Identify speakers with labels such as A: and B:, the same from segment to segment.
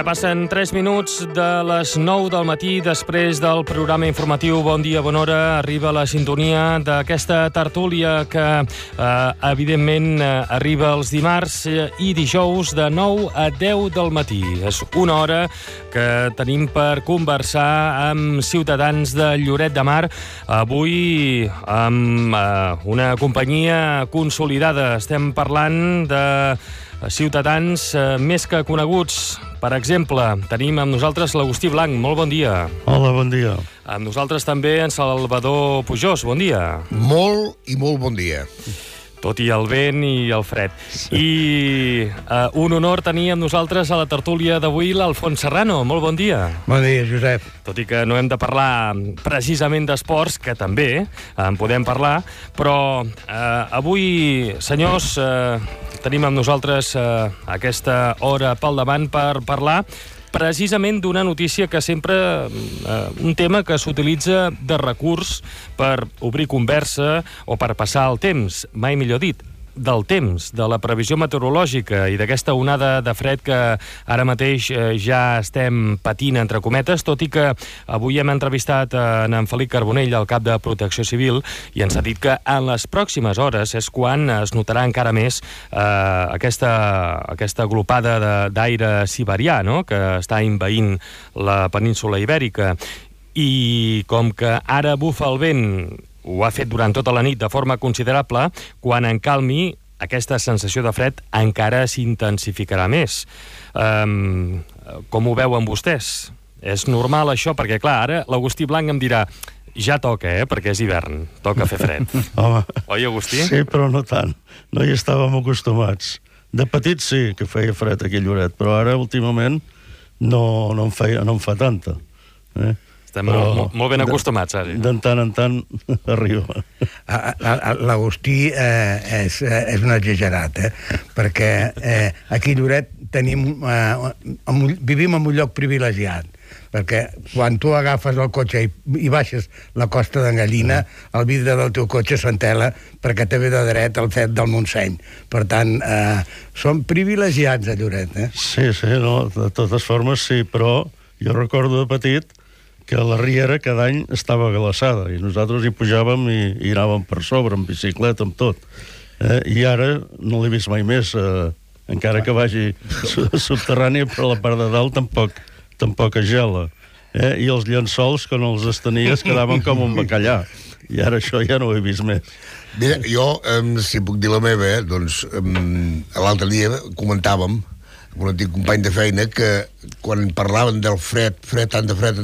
A: Ara passen 3 minuts de les 9 del matí, després del programa informatiu Bon dia, bona hora. Arriba la sintonia d'aquesta tertúlia que, evidentment, arriba els dimarts i dijous de 9 a 10 del matí. És una hora que tenim per conversar amb ciutadans de Lloret de Mar. Avui amb una companyia consolidada. Estem parlant de ciutadans més que coneguts. Per exemple, tenim amb nosaltres l'Agustí Blanc. Molt bon dia.
B: Hola, bon dia.
A: Amb nosaltres també en Salvador Pujós. Bon dia.
C: Molt i molt bon dia.
A: Tot i el vent i el fred. I un honor tenir amb nosaltres a la tertúlia d'avui l'Alfons Serrano. Molt bon dia.
C: Bon dia, Josep.
A: Tot i que no hem de parlar precisament d'esports, que també en podem parlar, però avui, senyors, tenim amb nosaltres aquesta hora pel davant per parlar precisament d'una notícia que sempre... un tema que s'utilitza de recurs per obrir conversa o per passar el temps, mai millor dit, del temps, de la previsió meteorològica i d'aquesta onada de fred que ara mateix ja estem patint, entre cometes, tot i que avui hem entrevistat en Felip Carbonell, el cap de Protecció Civil, i ens ha dit que en les pròximes hores és quan es notarà encara més aquesta glopada d'aire siberià, no?, que està envaint la península ibèrica. I com que ara bufa el vent, ho ha fet durant tota la nit de forma considerable, quan en calmi, aquesta sensació de fred encara s'intensificarà més. Com ho veuen vostès? És normal això? Perquè, clar, ara l'Agustí Blanc em dirà ja toca, perquè és hivern, toca fer fred.
B: Home,
A: oi, Agustí?
B: sí, però no tant. No hi estàvem acostumats. De petit sí que feia fred aquí a Lloret, però ara, últimament, no em fa tanta.
A: Estem molt ben acostumats, ara.
B: De tant en tant arriba.
C: L'Agustí és un exagerat, perquè aquí a Lloret vivim en un lloc privilegiat, perquè quan tu agafes el cotxe i baixes la costa d'en Gallina, el vidre del teu cotxe s'entela perquè te ve de dret el fet del Montseny. Per tant, som privilegiats a Lloret.
B: Sí, no, de totes formes sí, però jo recordo de petit que la riera cada any estava glaçada i nosaltres hi pujàvem i anàvem per sobre, amb bicicleta, amb tot. I ara no l'he vist mai més, encara que vagi subterrània, però la part de dalt tampoc es gela. I els llençols, quan els estenies, quedaven com un bacallà. I ara això ja no ho he vist més.
C: Mira, jo, si puc dir la meva, doncs, l'altre dia comentàvem amb un antic company de feina que quan parlaven del fred, tant de fred,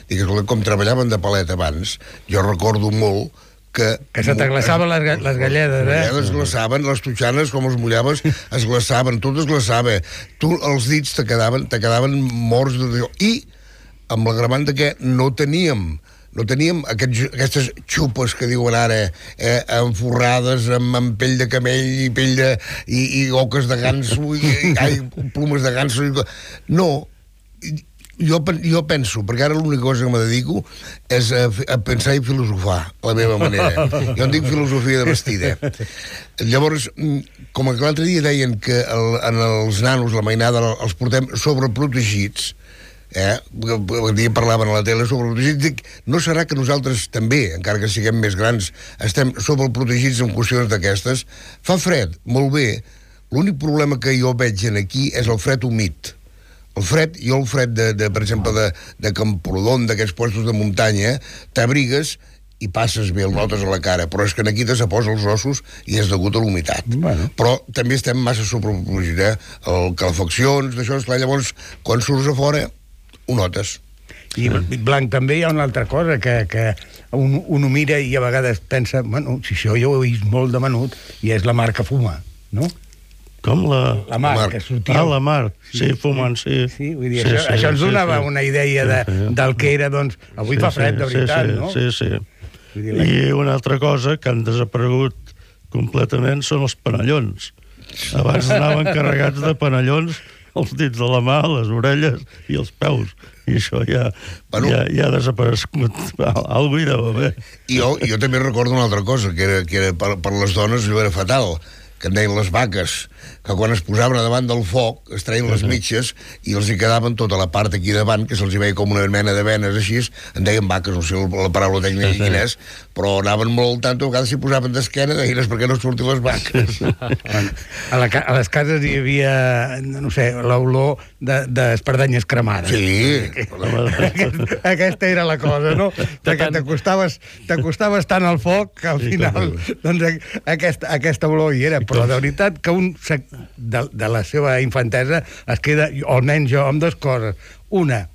C: digues, com treballaven de palet abans, jo recordo molt que se t'aglaçaven les galledes, es glaçaven, les totxanes, com els mullaves, es glaçaven, tot es glaçava. Tu, els dits te quedaven morts de... I amb l'agravant de que no teníem aquestes xupes que diuen ara, enforrades amb pell de camell i pell de... i oques de ganso i plomes de ganso. No, jo penso, perquè ara l'única cosa que me dedico és a pensar i filosofar, a la meva manera. Jo en dic filosofia de vestida. Llavors, com que l'altre dia deien que en els nanos, la mainada, els portem sobreprotegits, parlaven a la tele sobreprotegits, dic, no serà que nosaltres també, encara que siguem més grans, estem sobreprotegits en qüestions d'aquestes? Fa fred, molt bé. L'únic problema que jo veig aquí és el fred humit. El fred, per exemple, de Camprodon, d'aquests puestos de muntanya, t'abrigues i passes bé, el notes a la cara, però és que aquí te se posa els ossos i és degut a l'humitat. Bueno. Però també estem massa sobreprotegits, calefaccions, d'això, esclar, llavors, quan surts a fora, ho notes.
D: I, Blanc, també hi ha una altra cosa que un ho mira i a vegades pensa, bueno, si això jo ho he vist molt de menut, i és la mar que fuma, no?
B: Com la
D: mar, que sortia...
B: Ah, la mar, sí, fumant, sí.
D: Sí, vull dir, això ens donava una idea del que era, doncs, avui fa fred, de veritat, no?
B: Sí. I una altra cosa que han desaparegut completament són els panellons. Abans anaven carregats de panellons els dits de la mà, les orelles i els peus. I això ja ha desaparegut. Algú hi deu haver.
C: Jo també recordo una altra cosa, que era per les dones allò era fatal, que en deien les vaques. que quan es posaven davant del foc es treien les mitges i els hi quedaven tota la part aquí davant, que se'ls hi veia com una mena de venes així, en deien vaques, no sé la paraula tècnica quina és, però anaven molt al tanto, a vegades s'hi posaven d'esquena, deien per què no surtin les vaques.
D: A les cases hi havia, no sé, l'olor d'espardanyes cremades.
C: Sí.
D: Aquesta era la cosa, no? Que t'acostaves tant al foc que al final doncs aquesta olor hi era, però de veritat que un de la seva infantesa es queda, o almenys jo, amb dues coses. Una,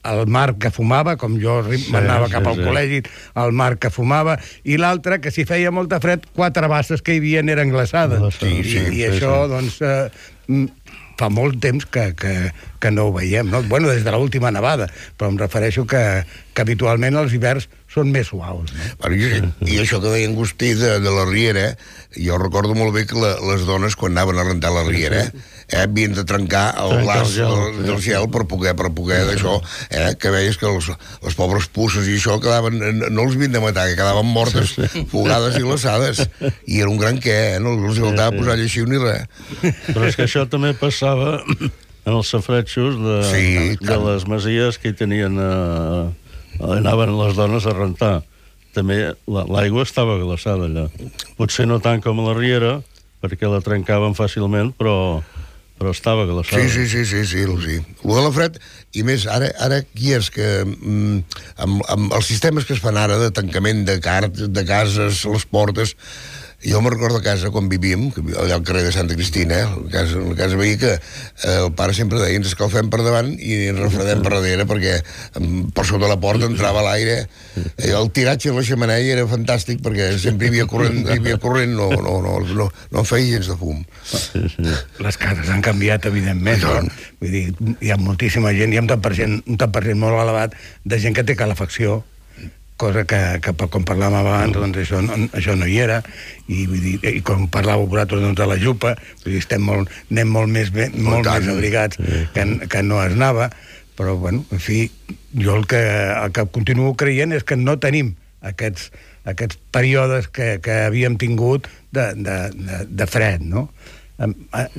D: el Marc que fumava, com jo m'anava cap al col·legi, el Marc que fumava, i l'altra, que si feia molta fred, 4 basses que hi havia eren glaçades. I això, doncs, fa molt temps que no ho veiem, no? Bueno, des de l'última nevada, però em refereixo que habitualment els hiverns són més suaus, no?
C: Bueno, i això que deia Agustí de la Riera, jo recordo molt bé que les dones, quan anaven a rentar la Riera, havien de trencar el glaç del gel per poder d'això, que veies que les pobres pusses i això quedaven, no els havien de matar, que quedaven mortes, fogades i glaçades, i era un gran què, no els hi faltava posar lleixiu ni res.
B: Però és que això també passava en els safaretxos de les masies que hi tenien, anaven les dones a rentar. També l'aigua estava glaçada allà. Potser no tant com a la Riera, perquè la trencaven fàcilment, però estava glaçada.
C: Sí. Lo de la fred, i més, ara aquí és que amb els sistemes que es fan ara de tancament de cases, les portes, jo me'n recordo a casa, quan vivíem, allà al carrer de Santa Cristina, a casa veia que el pare sempre deia ens escalfem per davant i ens refredem per darrere, perquè per sota la porta entrava l'aire. El tiratge de la xemeneia era fantàstic, perquè sempre hi havia corrent, no feia gens de fum.
D: Les cases han canviat, evidentment, no? Vull dir, hi ha moltíssima gent, hi ha un tant per cent molt elevat de gent que té calefacció, cosa que com parlàvem abans, doncs això no hi era, i vull dir, i com parlàveu vosaltres de la jupa, vull dir, anem molt més abrigats que no es anava, però, bueno, en fi, jo el que continuo creient és que no tenim aquests períodes que havíem tingut de fred, no?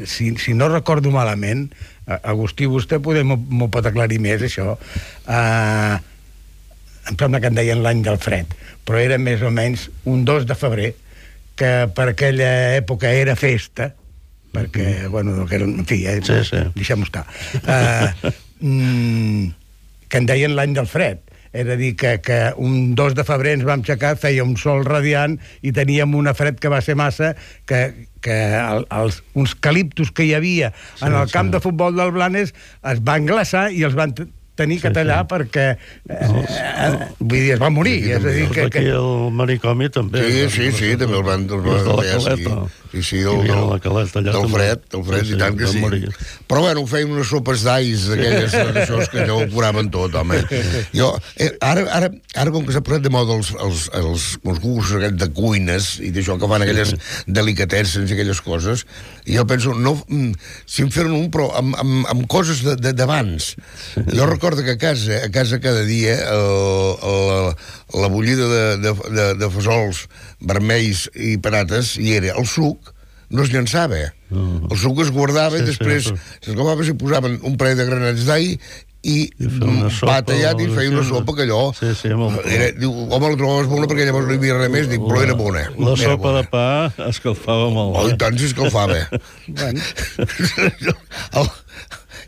D: Si no recordo malament, Agustí, vostè m'ho pot aclarir més, això, em sembla que en deien l'any del fred, però era més o menys un 2 de febrer, que per aquella època era festa, perquè, bueno, en fi, deixem-ho estar, que en deien l'any del fred. És a dir, que un 2 de febrer ens vam aixecar, feia un sol radiant i teníem una fred que va ser massa, que uns caliptos que hi havia en el camp de futbol del Blanes es van glaçar i els van tenir que tallar perquè vull dir, es va morir. És a dir,
B: aquí el manicomi també.
C: Sí, també el van tallar. Sí, del fred, i tant que sí. Però bueno, feien unes sopes d'ais d'aquelles d'aixòs que allò ho curaven tot, home. Jo, ara com que s'ha posat de moda els concursos aquests de cuines i d'això que fan aquelles delicatesses i aquelles coses, jo penso, si em feren un, però amb coses d'abans. Jo recordo que a casa cada dia la bullida de fesols vermells i patates hi era el suc, no es llançava. El suc es guardava i després s'escalfava, s'hi posaven un parell de granets d'all i va tallat i feia una sopa que allò home, la trobaves bona perquè llavors no hi havia res més, dic, però era bona.
B: La sopa de pa escalfava molt.
C: Oh, i tant s'escalfava.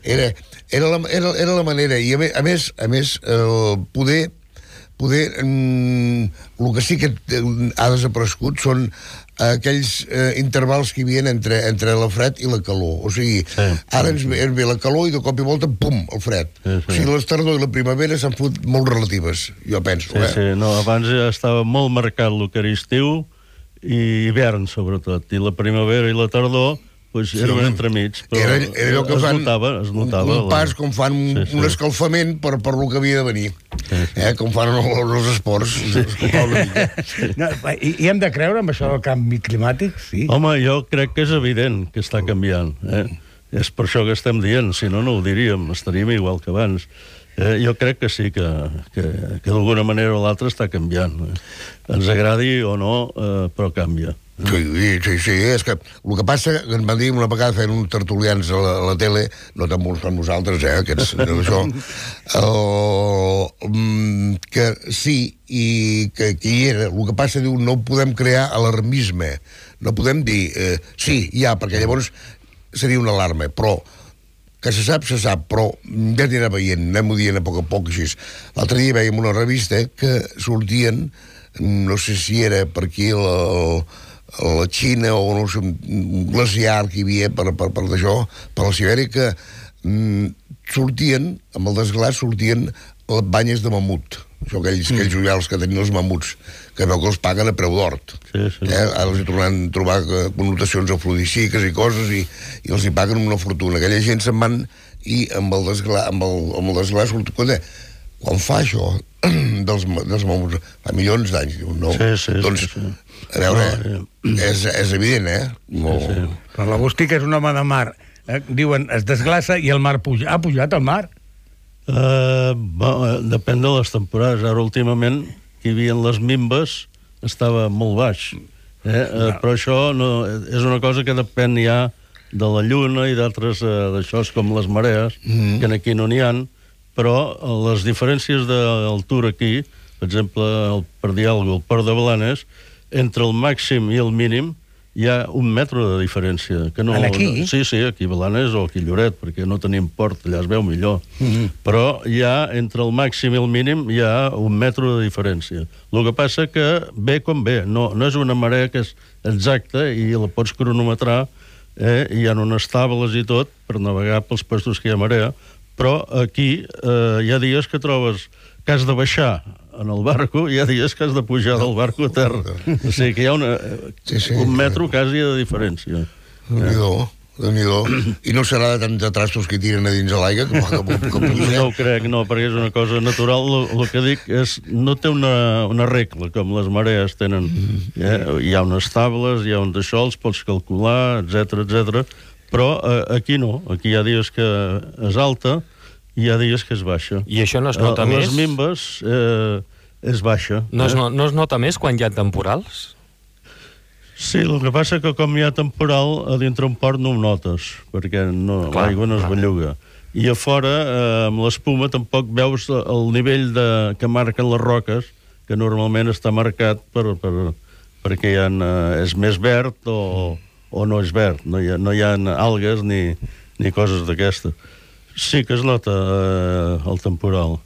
C: Era la manera, i a més poder el que sí que ha desaparegut són aquells intervals que hi havia entre la fred i la calor. O sigui, ara ens ve la calor i de cop i volta, pum, el fred. O sigui, les tardor i la primavera s'han fot molt relatives, jo penso.
B: Abans estava molt marcat el que era estiu i hivern, sobretot. I la primavera i la tardor eren entremig, però es notava.
C: Un pas com fan un escalfament per lo que havia de venir. Com fan els esports.
D: I hem de creure en això del canvi climàtic?
B: Home, jo crec que és evident que està canviant. És per això que estem dient, si no, no ho diríem, estaríem igual que abans. Jo crec que sí, que d'alguna manera o l'altra està canviant. Ens agradi o no, però canvia.
C: Sí, és que el que passa, que ens van dir una vegada fent uns tertulians a la tele, no tan bons com nosaltres, aquests, això, que sí, i que hi era, el que passa, diu, no podem crear alarmisme, no podem dir, sí, ja, perquè llavors seria una alarma, però que se sap, però ja anirà veient, anem-ho dient a poc, així. L'altre dia veiem una revista que sortien, no sé si era per aquí la Xina o no sé, un glaciar que hi havia per d'això, per la Sibèria, que sortien, amb el desglaç, sortien les banyes de mamut. Això, aquells ullals que tenien els mamuts, que veu que els paguen a preu d'hort.
B: Sí.
C: Ara els hi tornaran a trobar connotacions afrodisíaques i coses, i els hi paguen una fortuna. Aquella gent se'n van, i amb el desglaç surt... Quan fa això dels mamuts, fa milions d'anys, diu, no?
B: Sí.
C: Doncs, a veure, és evident,
D: Sí. Però l'Agustí, que és un home de mar, diuen, es desglaça i el mar puja. Ha pujat el mar?
B: Depèn de les temporades. Ara, últimament, que hi havia les mimbes, estava molt baix. Però això és una cosa que depèn ja de la lluna i d'altres d'això, com les marees, que aquí no n'hi ha, però les diferències d'altura aquí, per exemple, per dir alguna cosa, el Port de Blanes, entre el màxim i el mínim hi ha 1 metre de diferència. Que no,
D: aquí?
B: Sí, aquí a Blanes o aquí a Lloret, perquè no tenim port, allà es veu millor. Però hi ha, entre el màxim i el mínim, hi ha 1 metre de diferència. El que passa que ve com ve, no és una marea que és exacta i la pots cronometrar, hi ha unes tables i tot per navegar pels puestos que hi ha marea, però aquí hi ha dies que trobes que has de baixar en el barco, hi ha dies que has de pujar del barco a terra. O sigui que hi ha un metro quasi de diferència.
C: Déu-n'hi-do. I no serà de tants trastos que tiren a dins de l'aigua que puja?
B: No ho crec, no, perquè és una cosa natural. El que dic és, no té una regla, com les marees tenen. Hi ha unes tables, hi ha uns d'això, els pots calcular, etc. Però aquí no, aquí hi ha dies que és alta i hi ha dies que és baixa.
A: I això no es nota més?
B: Les mimbes és baixa.
A: No es nota més quan hi ha temporals?
B: Sí, el que passa que com hi ha temporal, a dintre un port no ho notes, perquè l'aigua no es belluga. I a fora, amb l'espuma, tampoc veus el nivell que marquen les roques, que normalment està marcat perquè és més verd o no és verd. No hi ha algues ni coses d'aquestes. Sí que es nota el temporal,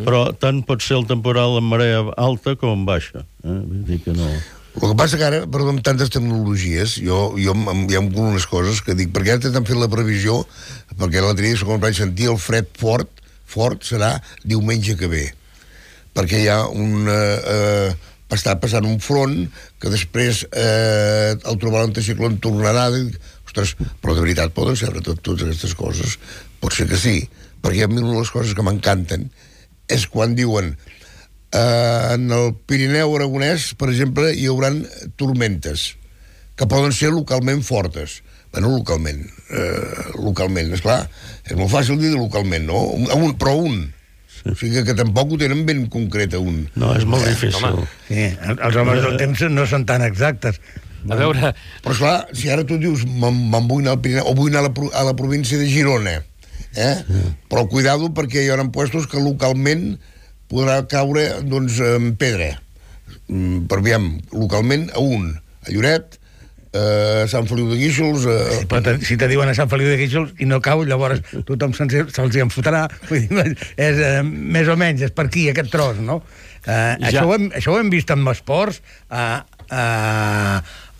B: però tant pot ser el temporal en marea alta com en baixa. Vull dir que no...
C: El que passa que ara, perdó, amb tantes tecnologies, hi ha unes coses que dic, perquè ara t'han fet la previsió, perquè l'altre dia, com vaig sentir, el fred fort serà diumenge que ve, perquè hi ha està passant un front que després el trobarà un anticicló tornarà, ostres, però de veritat poden ser totes aquestes coses? Pot ser que sí, perquè a mi una de les coses que m'encanten és quan diuen en el Pirineu aragonès, per exemple, hi haurà tormentes que poden ser localment fortes. Bueno, localment, esclar, és molt fàcil dir localment, no? Però un. O sigui que tampoc ho tenen ben concret a un.
B: No, és molt difícil.
D: Sí, els homes del temps no són tan exactes.
A: A veure...
C: Però esclar, si ara tu dius me'n vull anar al Pirineu, o vull anar a la província de Girona, però cuidado perquè hi haurà puestos que localment podrà caure, doncs, en pedra. Per aviam, localment a un. A Lloret, a Sant Feliu de Guíxols...
D: Si te diuen a Sant Feliu de Guíxols i no cau, llavors tothom se'ls hi enfotrà. És més o menys, és per aquí, aquest tros, no? Això ho hem vist amb esports a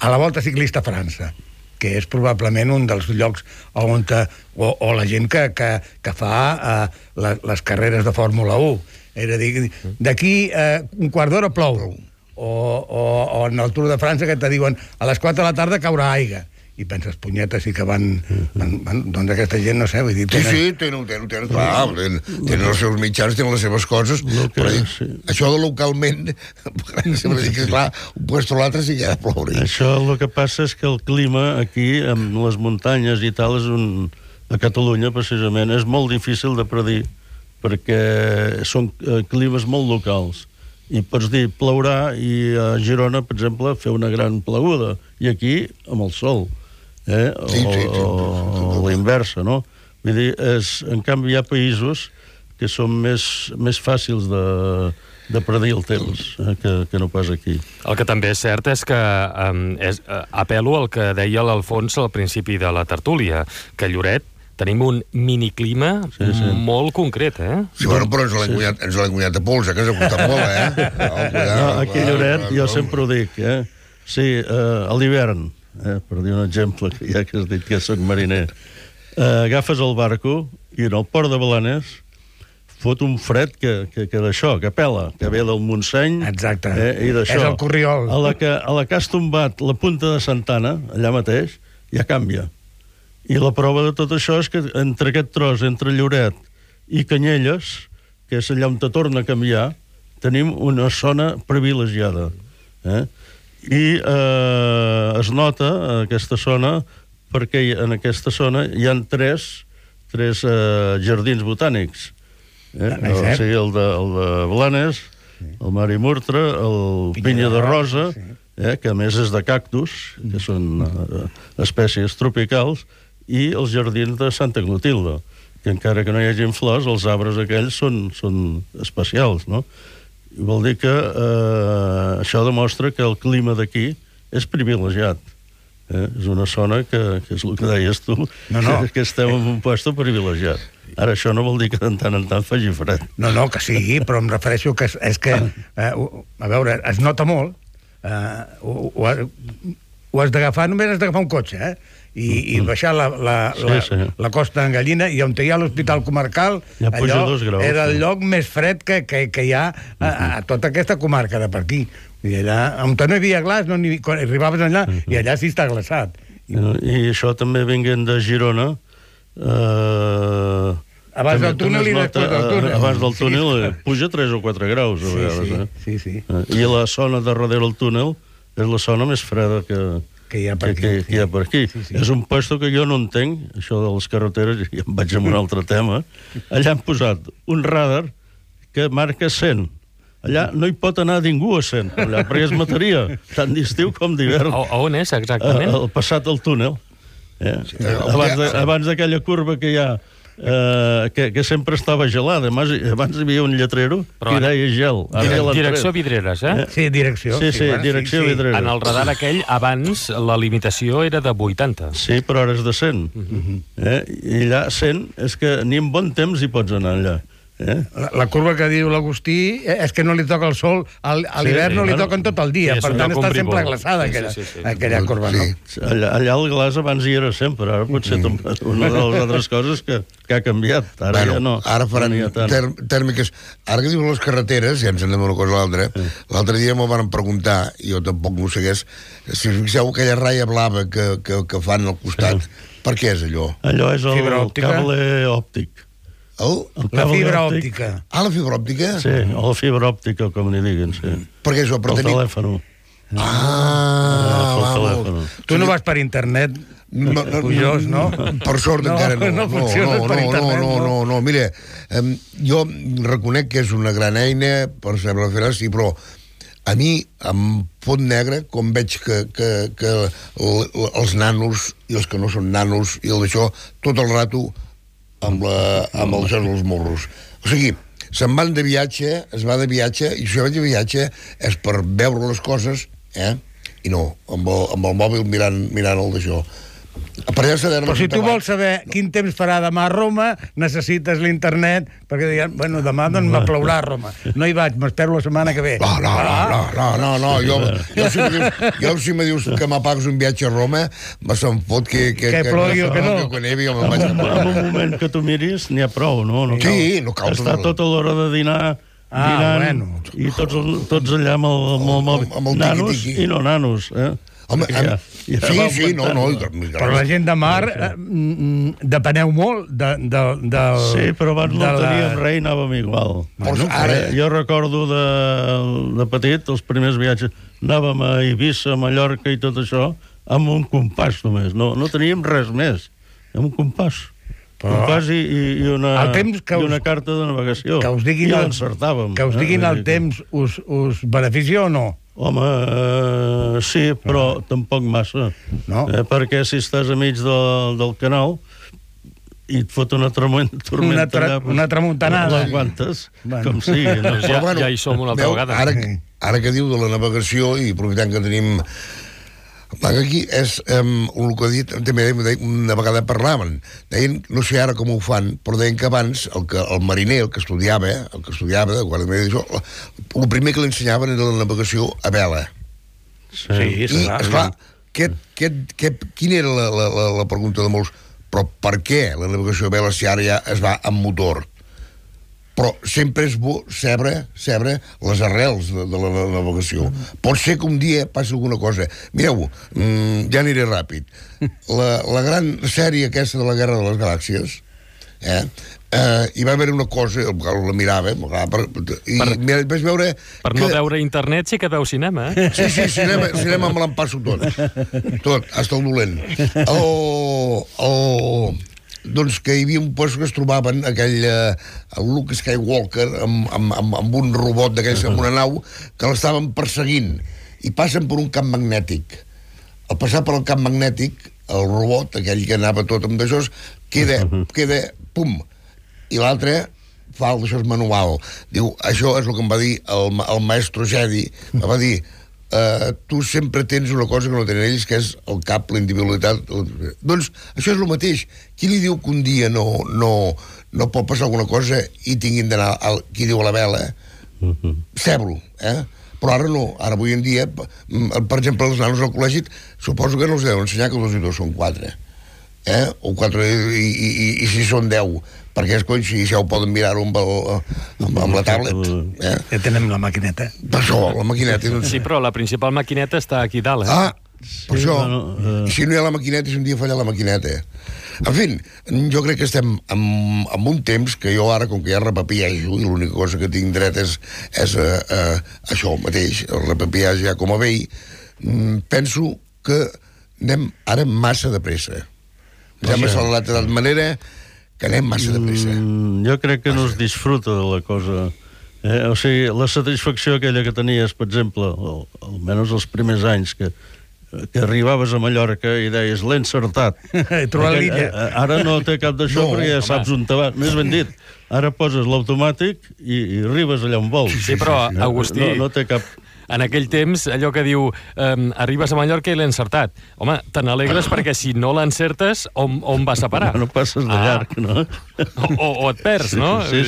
D: la Volta Ciclista a França, que és probablement un dels llocs on la gent que fa les carreres de Fórmula 1. És a dir, d'aquí un quart d'hora plou. O en el Tour de França que te diuen a les 4 de la tarda caurà aigua. I penses, punyetes, sí que van... Doncs aquesta gent, no sé, vull dir...
C: Sí, tenen, clar, tenen els seus mitjans, tenen les seves coses, però això de localment, sempre dic que, clar, un puesto o l'altre sí que ha de ploure.
B: Això el que passa és que el clima aquí, amb les muntanyes i tal, a Catalunya, precisament, és molt difícil de predir, perquè són climes molt locals. i pots dir plourà, i a Girona, per exemple, fer una gran pleguda, i aquí amb el sol, o la inversa, no? Vull dir, en canvi hi ha països que són més fàcils de predir el temps que no pas aquí.
A: El que també és cert és que apel·lo al que deia l'Alfons al principi de la tertúlia, que a Lloret tenim un miniclima molt concret,
C: Sí, bueno, però ens l'hem guanyat a pols, que ens ha costat molt,
B: No, aquí a Lloret, jo sempre ho dic, sí, a l'hivern, per dir un exemple, ja que has dit que soc mariner, agafes el barco i en el port de Blanes fot un fred que d'això, que pela, que ve del Montseny.
D: Exacte.
B: I d'això.
D: És el Corriol.
B: A la que has tombat la punta de Santana, allà mateix, ja canvia. I la prova de tot això és que entre aquest tros, entre Lloret i Canyelles, que és allà on te torna a canviar, tenim una zona privilegiada. I es nota aquesta zona perquè en aquesta zona hi ha tres jardins botànics. O sigui, el de Blanes, el Mari Murtra, el Pinya de Rosa, que a més és de cactus, que són espècies tropicals, i els jardins de Santa Clotilde, que encara que no hi hagin flors, els arbres aquells són especials, no? I vol dir que això demostra que el clima d'aquí és privilegiat. És una zona que és el que deies tu, que estem en un lloc privilegiat. Ara, això no vol dir que de tant en tant faci fred.
D: No, que sí, però em refereixo que és que, a veure, es nota molt, ho has d'agafar, només has d'agafar un cotxe, i baixar la Costa en Gallina, i on hi ha l'Hospital Comarcal, allò era el lloc més fred que hi ha a tota aquesta comarca de per aquí. I allà, on no hi havia glaç, quan arribaves allà, i allà sí està glaçat.
B: I això també venint de Girona,
D: abans del túnel i després del túnel.
B: Abans del túnel puja 3 o 4 graus a vegades.
D: Sí.
B: I la zona de darrere del túnel és la zona més freda que hi ha per aquí. És un puesto que jo no entenc, això de les carreteres, i em vaig amb un altre tema. Allà han posat un radar que marca 100. Allà no hi pot anar ningú a 100, perquè es mataria, tant d'estiu com d'hivern.
A: On és, exactament?
B: Al passat del túnel. Abans d'aquella curva que hi ha, que sempre estava gelada. Abans hi havia un lletrero que deia gel.
A: Direcció Vidreres,
D: Sí, direcció.
B: Sí, direcció Vidreres.
A: En el radar aquell, abans, la limitació era de 80.
B: Sí, però ara és de 100. I allà 100 és que ni en bon temps hi pots anar allà.
D: La curva que diu l'Agustí és que no li toca el sol, a l'hivern no li toquen tot el dia, per tant està sempre glaçada aquella curva.
B: Allà el glaç abans hi era sempre, ara potser una de les altres coses que ha canviat, ara ja no.
C: Ara faran tèrmiques. Ara que diuen les carreteres, ja ens anem una cosa a l'altra, l'altre dia m'ho van preguntar, i jo tampoc no ho segueix, si us fixeu aquella ratlla blava que fan al costat, per què és allò?
B: Allò és el cable òptic.
D: La fibra òptica.
C: La fibra òptica?
B: Sí, o la fibra òptica, com n'hi diguin, sí.
C: Per què això?
B: El telèfon.
D: Tu no vas per internet, Pujós, no?
C: Per sort encara no. No, mira, jo reconec que és una gran eina per saber fer sí, però a mi em fot negre com veig que els nanos i els que no són nanos i el d'això, tot el rato amb els jocs dels morros. O sigui, se'n van de viatge, es va de viatge, i si vaig de viatge és per veure les coses, i no, amb el mòbil mirant el d'això.
D: Però si tu vols saber quin temps farà demà a Roma, necessites l'internet, perquè diuen, bueno, demà doncs me plourà a Roma. No hi vaig, m'espero la setmana que ve.
C: No, jo si me dius que m'apagues un viatge a Roma, se'm fot que
D: plogui o que no.
B: En un moment que tu miris, n'hi ha prou, no?
C: Sí, no cal.
B: Està tota l'hora de dinar dinant, i tots allà amb el mòbil. Nanos i no nanos,
C: Home, sí, no.
D: Però la gent de mar depeneu molt
B: Sí, però abans no teníem res i anàvem igual. Jo recordo de petit, els primers viatges, anàvem a Eivissa, a Mallorca i tot això, amb un compàs només. No teníem res més, amb un compàs. un pas i una carta de navegació.
D: Que us diguin,
B: I l'encertàvem.
D: Que us diguin el temps us beneficia o no?
B: Home, sí, però tampoc massa.
D: No?
B: Perquè si estàs a mig del canal i et fot una tormenta
D: una tramuntanada.
B: L'aguantes, com sigui. No?
A: Ja hi som una altra vegada.
C: Ara que diu de la navegació, i aprofitant que tenim... Aquí és el que ha dit, també una vegada parlaven, deien, no sé ara com ho fan, però deien que abans el mariner, el que estudiava de guarda d'això, el primer que li ensenyaven era la navegació a vela.
B: Sí,
C: I, esclar, quina era la pregunta de molts? Però per què la navegació a vela si ara ja es va amb motor? Però sempre és bo saber les arrels de la navegació. Pot ser que un dia passi alguna cosa. Mireu, ja aniré ràpid. La gran sèrie aquesta de la Guerra de les Galàxies, hi va haver una cosa, la mirava, i vaig veure...
A: Per no veure internet sí que veu cinema, eh?
C: Sí, cinema me l'empasso tot, hasta el dolent. Doncs que hi havia un lloc que es trobaven el Luke Skywalker amb un robot d'aquells, amb una nau que l'estaven perseguint i passen per un camp magnètic. Al passar per el camp magnètic, el robot, aquell que anava tot amb d'això, queda pum, i l'altre fa el d'això manual. Diu, això és el que em va dir el maestro Jedi, em va dir, tu sempre tens una cosa que no tenen ells, que és el cap, la individualitat. Doncs això és el mateix. Qui li diu que un dia no pot passar alguna cosa i tinguin d'anar, qui diu a la vela, cebro, però ara no, ara avui en dia, per exemple, els nanos al col·legi, suposo que no els deuen ensenyar que 2 i 2 són 4, o 4 i 6 són 10, perquè és coi, si ja ho poden mirar-ho amb la tablet.
D: Ja tenem la maquineta.
C: Per això, la maquineta.
A: Sí, però la principal maquineta està aquí dalt,
C: per això. I si no hi ha la maquineta, si un dia falla la maquineta. En fi, jo crec que estem en un temps que jo ara, com que ja repapiajo, i l'única cosa que tinc dret és això mateix, el repapiage ja com a vell, penso que anem ara massa de pressa. Ja m'ha accelerat de tal manera que anem massa de pressa.
B: Jo crec que no es disfruta de la cosa. O sigui, la satisfacció aquella que tenies, per exemple, almenys els primers anys, que arribaves a Mallorca i deies, l'he encertat.
D: He trobat l'illa.
B: Ara no té cap d'això, perquè ja saps on te va. Més ben dit, ara poses l'automàtic i arribes allà on vols.
A: Sí, però, Agustí...
B: No té cap...
A: En aquell temps, allò que diu arribes a Mallorca i l'he encertat. Home, te n'alegres perquè si no l'encertes, on vas a parar?
B: No passes de llarg, no?
A: O et perds, no?
B: Sí.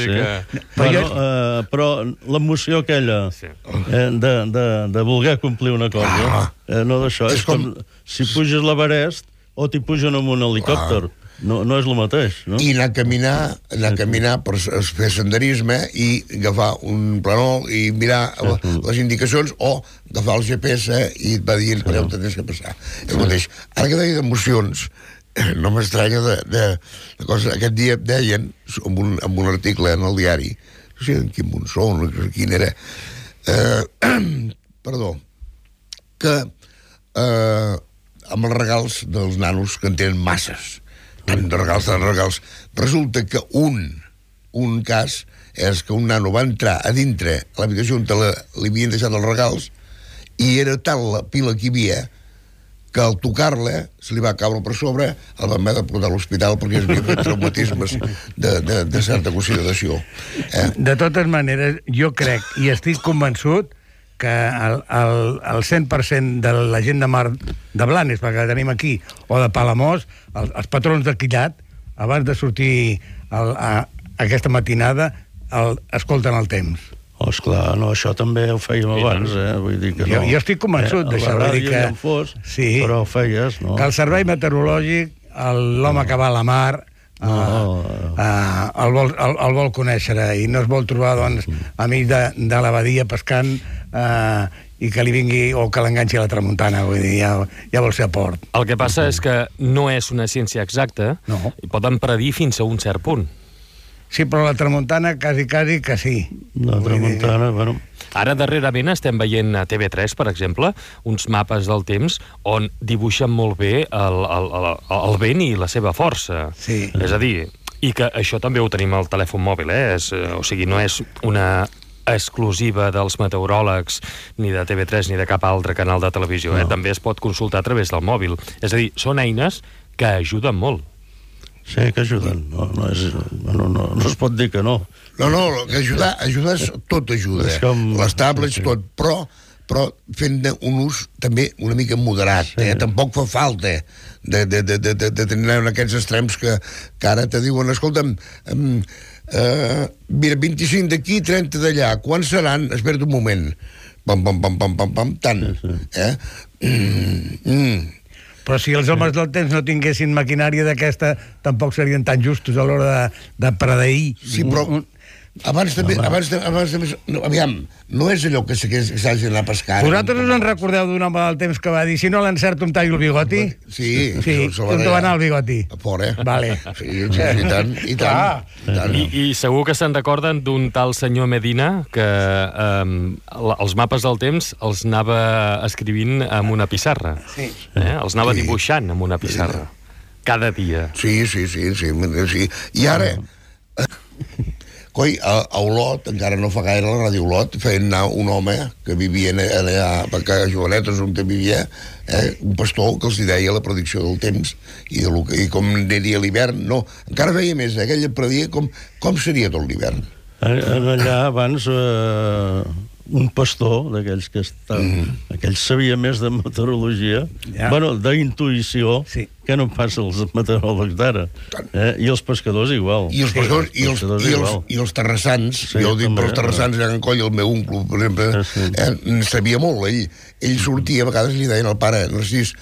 B: Però l'emoció aquella de voler complir una cosa, no d'això, és com si puges l'Everest o t'hi pugen amb un helicòpter. No és el mateix, no?
C: I anar a caminar per fer senderisme i agafar un planol i mirar les indicacions o agafar el GPS i et va dient per on tens que passar. El mateix. Ara que deia d'emocions, no m'estranya de coses. Aquest dia deien, amb un article en el diari, no sé en quin Monsó, quin era, perdó, que amb els regals dels nanos que en tenen masses, tant de regals. Resulta que un cas és que un nano va entrar a dintre a l'habitació on li havien deixat els regals i era tal la pila que hi havia que al tocar-la se li va caure per sobre, el van haver de portar a l'hospital perquè es havia fet traumatismes de certa consideració.
D: De totes maneres, jo crec i estic convençut que el 100% de la gent de Mar de Blanes, perquè la tenim aquí, o de Palamós, els patrons de Quillat, abans de sortir aquesta matinada, escolten el temps.
B: Esclar, no, això també ho fèiem abans, vull dir que no.
D: Jo estic convençut d'això.
B: A la ràdio ja en fos, però ho feies, no?
D: Que el servei meteorològic, l'home que va a la mar, el vol conèixer i no es vol trobar, doncs, amic de la badia pescant i que li vingui o que l'enganxi a la tramuntana, vull dir, ja vol ser a port.
A: El que passa és que no és una ciència exacta, i poden predir fins a un cert punt.
D: Sí, però la tramuntana quasi que sí.
B: La tramuntana, bueno...
A: Ara, darrerament, estem veient a TV3, per exemple, uns mapes del temps on dibuixen molt bé el vent i la seva força.
D: Sí.
A: És a dir, I que això també ho tenim al telèfon mòbil, o sigui, no és una exclusiva dels meteoròlegs, ni de TV3 ni de cap altre canal de televisió, també es pot consultar a través del mòbil. És a dir, són eines que ajuden molt.
B: Sí, que ajuden. No es pot dir que no.
C: No, que ajudar, tot ajuda. Les tablets, tot, però fent un ús també una mica moderat. Tampoc fa falta de tenir aquests extrems que ara te diuen, escolta'm, mira, 25 d'aquí, 30 d'allà, quants seran? Espera't un moment. Pam, tant.
D: Però si els homes del temps no tinguessin maquinària d'aquesta, tampoc serien tan justos a l'hora de predeir.
C: Sí, però abans també, aviam, no és allò que s'hagi d'anar a pescar.
D: Vosaltres us en recordeu d'un home del temps que va dir si no l'encerto em tallo el bigoti?
C: Sí.
D: On te va anar el bigoti?
C: A fora.
D: Vale.
C: Sí, i tant.
A: I segur que se'n recorden d'un tal senyor Medina que els mapes del temps els anava escrivint amb una pissarra.
D: Sí.
A: Els anava dibuixant amb una pissarra. Cada dia.
C: Sí. I ara... Coi, a Olot, encara no fa gaire, la Ràdio Olot, feien anar un home que vivia allà a Jovenetes, on vivia, un pastor que els deia la predicció del temps i com aniria l'hivern. No, encara feia més, ell predia com seria tot l'hivern.
B: Allà abans un pastor d'aquells que aquell sabia més de meteorologia, d'intuïció, que no passa els meteoròlegs d'ara. I els pescadors igual.
C: I els pescadors i els terrassans, jo ho dic per els terrassans, allà a Can Coll, el meu oncle, per exemple, sabia molt. Ell sortia, a vegades li deien al pare, Narcís,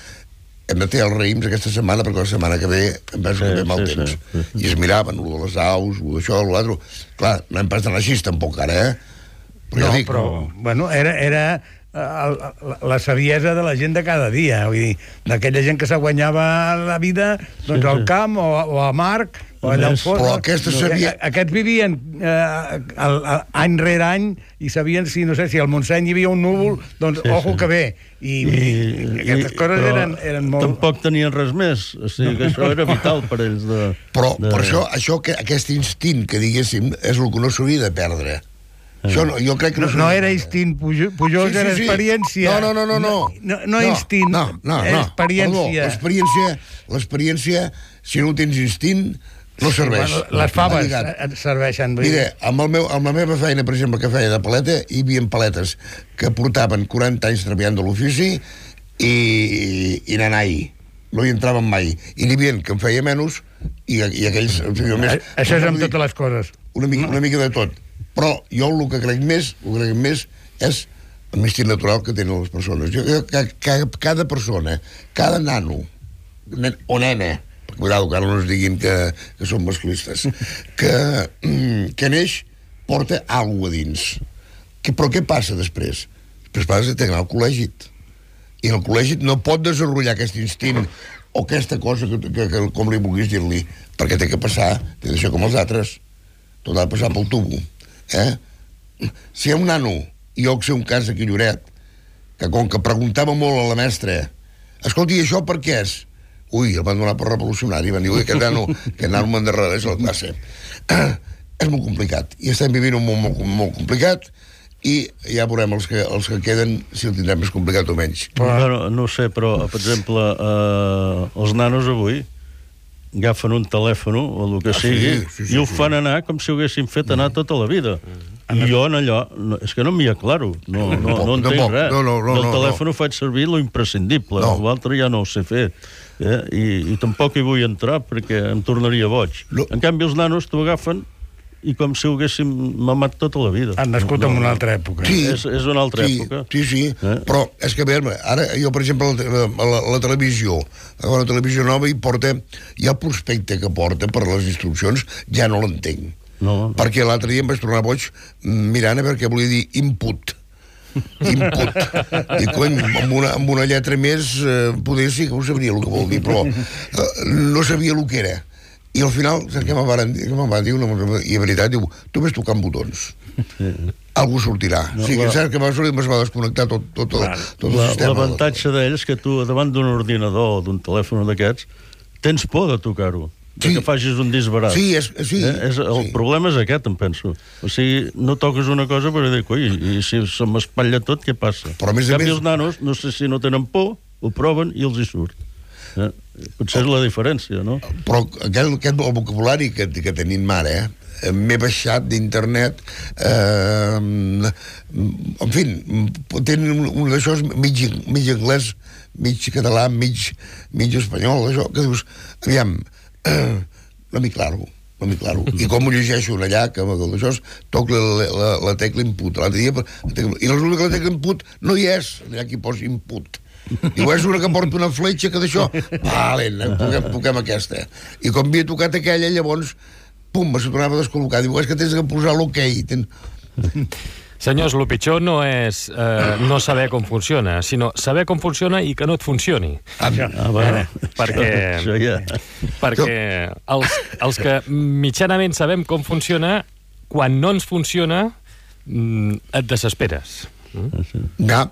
C: hem de fer els raïms aquesta setmana perquè la setmana que ve em penso que ve mal temps. I es miraven, lo de les aus, lo d'això, lo l'altre. Clar, no hem pas d'anar així tampoc ara,
D: però bueno, era la saviesa de la gent de cada dia, vull dir, d'aquella gent que se guanyava la vida doncs al camp o a Marc o allà on fos.
C: Però
D: aquests vivien any rere any i sabien si al Montseny hi havia un núvol, doncs ojo que ve. I aquestes coses eren molt...
B: Tampoc tenien res més, o sigui que això era vital per ells.
C: Però per això aquest instint que diguéssim és el que no s'hauria de perdre. Jo crec que
D: no era instint, Pujol, era experiència.
C: No.
D: No instint, experiència.
C: L'experiència, si no tens instint, no serveix.
D: Les faves serveixen.
C: Mira, amb la meva feina, per exemple, que feia de paleta, hi havia paletes que portaven 40 anys treballant de l'ofici i nanai. No hi entraven mai. I n'hi havia que en feia menys i aquells...
D: Això és amb totes les coses.
C: Una mica de tot. Però jo el que crec més és el instinct natural que tenen les persones. Cada persona, cada nano o nena, cuidado que ara no es diguin que són masclistes, que neix porta alguna cosa a dins. Però què passa després? Després passa que anar al col·legi. I en el col·legi no pot desenvolupar aquest instint o aquesta cosa que com li vulguis dir-li, perquè té que passar, té de ser com els altres. Tot ha de passar pel tubo. Si hi ha un nano, i jo que sé un cas aquí a Lloret, que com que preguntava molt a la mestra, escolti, això per què és? Ui, el van donar per revolucionari, van dir, ui, aquest nano m'endarrereix a la classe. És molt complicat, i estem vivint un món molt complicat, i ja veurem els que queden si el tindrem més complicat o menys.
B: No sé, però, per exemple, els nanos avui agafen un telèfon o el que sigui i ho fan anar com si ho haguessin fet anar tota la vida. I jo en allò, és que no m'hi aclaro, no entenc res. Del telèfon ho faig servir lo imprescindible, l'altre ja no ho sé fer. I tampoc hi vull entrar perquè em tornaria boig. En canvi, els nanos t'ho agafen i com si ho haguéssim mamat tota la vida.
D: Han nascut en una altra època.
B: Sí, és una altra època.
C: Sí, però és que, ara jo, per exemple, la televisió, la televisió nova hi ha el prospecte que porta per les instruccions, ja no l'entenc. Perquè l'altre dia em vaig tornar boig mirant a veure què volia dir input. I cony, amb una lletra més poder sí que ho sabria el que vol dir, però no sabia el que era. I al final, saps què me'n van dir? I en veritat, diu, tu ves tocant botons. Algú sortirà. Sí, que saps que va desconnectar tot el sistema.
B: L'avantatge d'ells és que tu, davant d'un ordinador o d'un telèfon d'aquests, tens por de tocar-ho. que facis un disbarat.
C: Sí,
B: El problema és aquest, em penso. O sigui, no toques una cosa per dir, coi, i si se m'espatlla tot, què passa?
C: Però a més a més...
B: els nanos, no sé si no tenen por, ho proven i els hi surt. Potser és la diferència, no?
C: Però aquest vocabulari que tenim ara, m'he baixat d'internet, en fi, tenen un d'això mig anglès, mig català, mig espanyol, això, que dius, aviam, no m'hi claro. I com ho llegeixo allà, que d'això toc la tecla input. I resulta que la tecla input no hi és, allà que hi posa input. Diu, és una que porta una fletxa que d'això, vale, toquem aquesta. I com havia tocat aquella, llavors, pum, se tornava a descol·locar. Diu, és que tens que posar l'ok.
A: Senyors, el pitjor no és no saber com funciona, sinó saber com funciona i que no et funcioni. Perquè els que mitjanament sabem com funciona, quan no ens funciona, et desesperes.
C: Ja.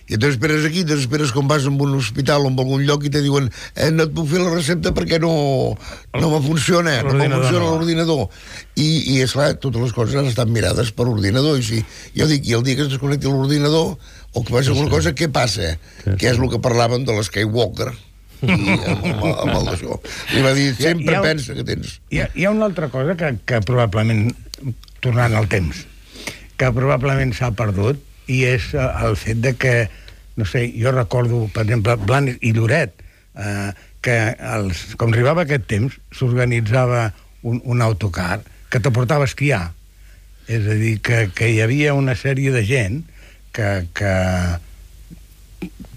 C: I t'esperes aquí, t'esperes com vas a un hospital o en algun lloc i te diuen no et puc fer la recepta perquè no me funciona, l'ordinador. I esclar, totes les coses han estat mirades per ordinador. I jo dic, i el dia que es desconnecti l'ordinador o que passi alguna cosa, què passa? Que és el que parlaven de l'Skywalker. Amb el d'això. Li va dir, sempre pensa que tens.
D: Hi ha una altra cosa que probablement, tornant al temps, que probablement s'ha perdut, i és el fet de que, no sé, jo recordo, per exemple, Blanes i Lloret, que com arribava aquest temps, s'organitzava un autocar que te portava a esquiar. És a dir, que hi havia una sèrie de gent que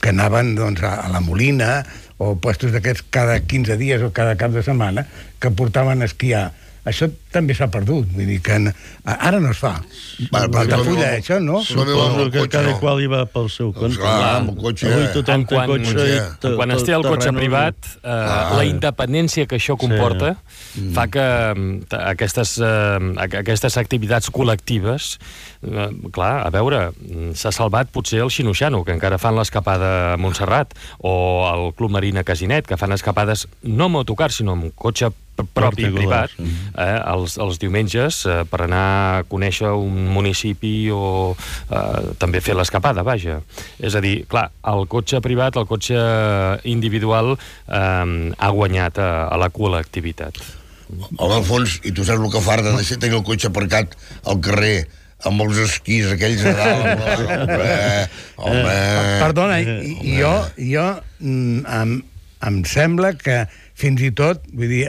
D: anaven doncs, a la Molina o puestos d'aquests cada 15 dies o cada cap de setmana que portaven a esquiar. Això també s'ha perdut, vull dir que ara no es fa. L'Altafulla, això, no?
B: Suposo que cada qual hi va pel seu compte.
C: Clar, amb el cotxe.
B: Avui tothom té cotxe.
A: Quan es té el cotxe privat, la independència que això comporta fa que aquestes activitats col·lectives, clar, a veure, s'ha salvat potser el Xinoxano, que encara fan l'escapada a Montserrat, o el Club Marina Casinet, que fan escapades no amb autocar, sinó amb cotxe propi, privat, els diumenges, per anar a conèixer un municipi o també fer l'escapada, vaja. És a dir, clar, el cotxe privat, el cotxe individual ha guanyat a la col·lectivitat.
C: Home, al fons, i tu saps el que farda de tenir el cotxe aparcat al carrer amb els esquís aquells a dalt. Home...
D: Perdona, jo em sembla que fins i tot, vull dir,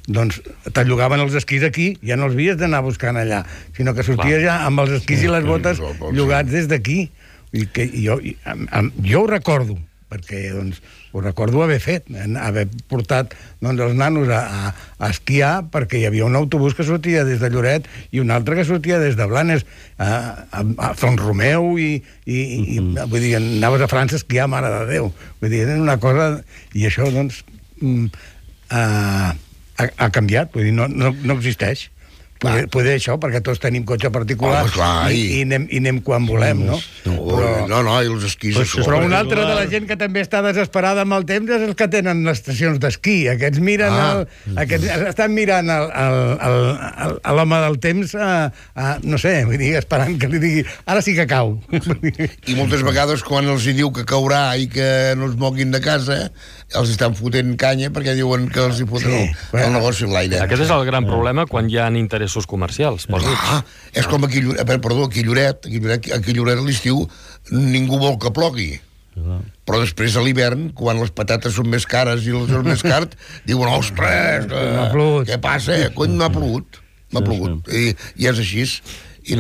D: doncs te llogaven els esquís aquí, ja no els havies d'anar buscant allà, sinó que sorties ja amb els esquís i les botes llogats des d'aquí. Jo ho recordo, perquè doncs, ho recordo haver fet, haver portat els nanos a esquiar, perquè hi havia un autobús que sortia des de Lloret i un altre que sortia des de Blanes a Font Romeu i vull dir, anaves a França a esquiar, mare de Déu. Vull dir, era una cosa... I això, doncs, ha canviat, vull dir, no existeix. Poder això, perquè tots tenim cotxe particular i anem quan volem, no?
C: No, i els esquís...
D: Però una altra de la gent que també està desesperada amb el temps és els que tenen les estacions d'esquí. Aquests miren estan mirant l'home del temps, no sé, vull dir, esperant que li digui ara sí que cau.
C: I moltes vegades quan els hi diu que caurà i que no es moguin de casa, els estan fotent canya perquè diuen que els hi foten el negoci en l'aire.
A: Aquest és el gran problema quan hi ha interessos comercials.
C: És com aquí a Lloret a l'estiu ningú vol que plogui. Però després a l'hivern, quan les patates són més cares i les són més cares, diuen, ostres, què passa? Cony, m'ha plogut. I és així. I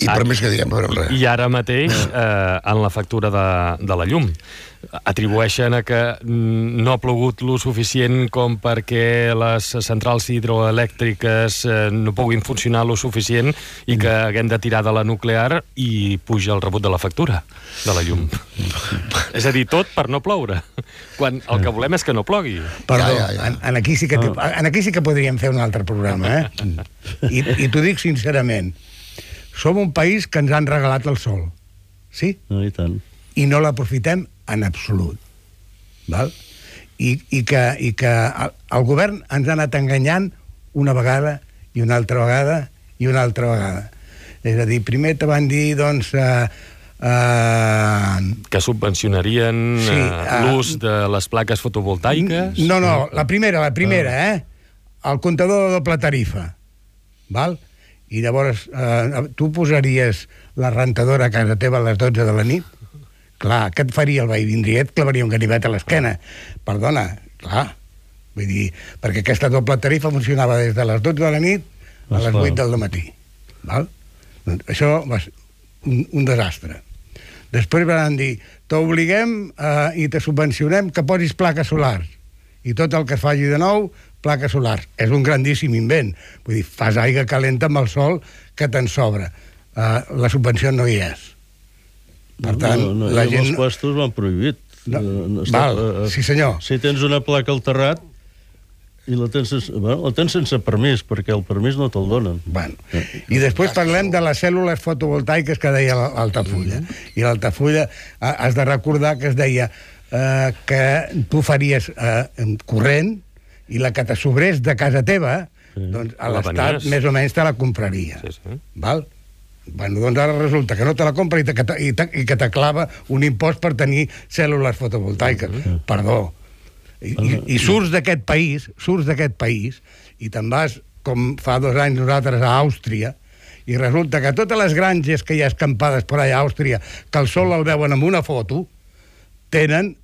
C: per més que diem, res.
A: I ara mateix, en la factura de la llum, atribueixen a que no ha plogut lo suficient com perquè les centrals hidroelèctriques no puguin funcionar lo suficient i que haguem de tirar de la nuclear i puja el rebut de la factura de la llum. És a dir, tot per no ploure, quan el que volem és que no plogui.
D: Perdó, aquí sí que podríem fer un altre programa, I t'ho dic sincerament, som un país que ens han regalat el sol, sí?
B: I tant.
D: I no l'aprofitem en absolut. Val? i que el govern ens ha anat enganyant una vegada i una altra vegada i una altra vegada. És a dir, primer te van dir, doncs...
A: que subvencionarien l'ús de les plaques fotovoltaiques?
D: No, la primera, el comptador de doble tarifa, val? I llavors tu posaries la rentadora a casa teva a les 12 de la nit? Clar, què et faria el veí? Vindria i et clavaria un ganivet a l'esquena. Perdona, clar. Vull dir, perquè aquesta doble tarifa funcionava des de les 12 de la nit a les 8 del matí. Val? Això va ser un desastre. Després van dir, t'obliguem i te subvencionem que posis plaques solars. I tot el que es faci de nou, plaques solars. És un grandíssim invent. Vull dir, fas aigua calenta amb el sol que te'n sobra. La subvenció no hi és. Per tant,
B: la gent... Els puestos l'han prohibit.
D: Sí, senyor.
B: Si tens una placa al terrat i la tens sense permís, perquè el permís no te'l donen.
D: I després parlem de les cèl·lules fotovoltaiques que deia l'Altafulla. I l'Altafulla has de recordar que es deia que tu faries corrent i la que te sobrés de casa teva, doncs a l'Estat més o menys te la compraria. Val? Bueno, doncs ara resulta que no te la compra i que te clava un impost per tenir cèl·lules fotovoltaiques. Perdó. I surts d'aquest país i te'n vas, com fa 2 anys nosaltres, a Àustria, i resulta que totes les granges que hi ha escampades per allà a Àustria, que el sol el veuen amb una foto, tenen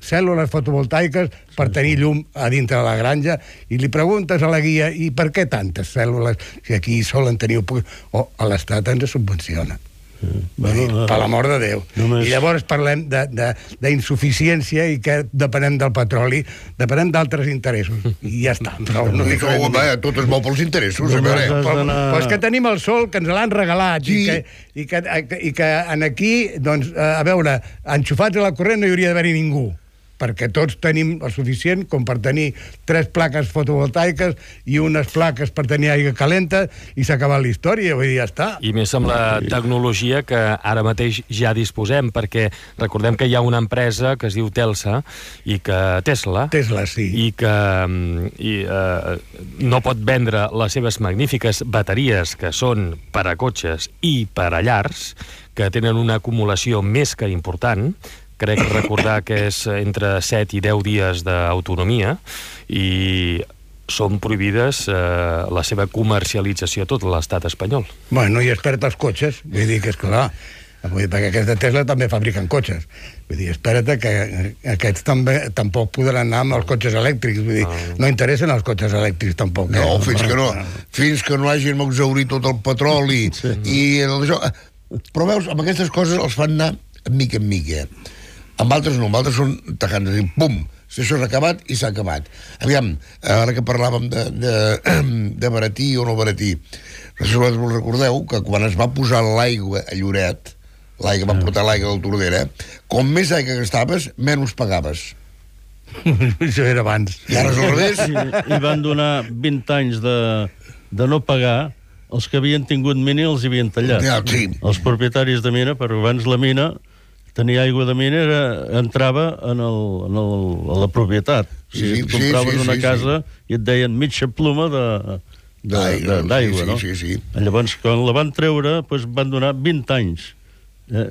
D: cèl·lules fotovoltaiques per tenir llum a dintre de la granja, i li preguntes a la guia, i per què tantes cèl·lules si aquí solen tenir... a l'Estat ens subvenciona. Per l'amor de Déu. I llavors parlem d'insuficiència i que depenem del petroli, depenem d'altres interessos. I ja està.
C: Tot es mou pels interessos.
D: Però és que tenim el sol, que ens l'han regalat, i que aquí, doncs, a veure, enxufats a la corrent no hi hauria d'haver-hi ningú, perquè tots tenim el suficient com per tenir 3 plaques fotovoltaiques i unes plaques per tenir aigua calenta i s'ha acabat la història, vull dir, ja està.
A: I més amb la tecnologia que ara mateix ja disposem, perquè recordem que hi ha una empresa que es diu Telsa, i que Tesla,
D: sí.
A: I que no pot vendre les seves magnífiques bateries, que són per a cotxes i per a llars, que tenen una acumulació més que important. Crec recordar que és entre 7 i 10 dies d'autonomia, i són prohibides la seva comercialització a tot l'estat espanyol.
D: Bueno, i espera't els cotxes, vull dir que és clar, perquè aquests de Tesla també fabriquen cotxes. Vull dir, espera't que aquests tampoc podran anar amb els cotxes elèctrics, vull dir, no interessen els cotxes elèctrics tampoc.
C: No, fins que no hagin exhaurit tot el petroli i això. Però veus, amb aquestes coses els fan anar mica en mica. Amb altres no, amb altres són tacants, i pum, si això s'ha acabat i s'ha acabat. Aviam, ara que parlàvem de baratir o no baratir, no sé si us recordeu que quan es va posar l'aigua a Lloret, van portar l'aigua del Tordera, com més aigua gastaves, menys pagaves.
D: Això era abans.
C: I ara és al revés.
B: I van donar 20 anys de no pagar. Els que havien tingut mina els havien tallat. Els propietaris de mina, perquè abans la mina, tenir aigua de mina entrava a la propietat. O sigui, tu compraves una casa i et deien mitja ploma d'aigua, no? Llavors, quan la van treure, van donar 20 anys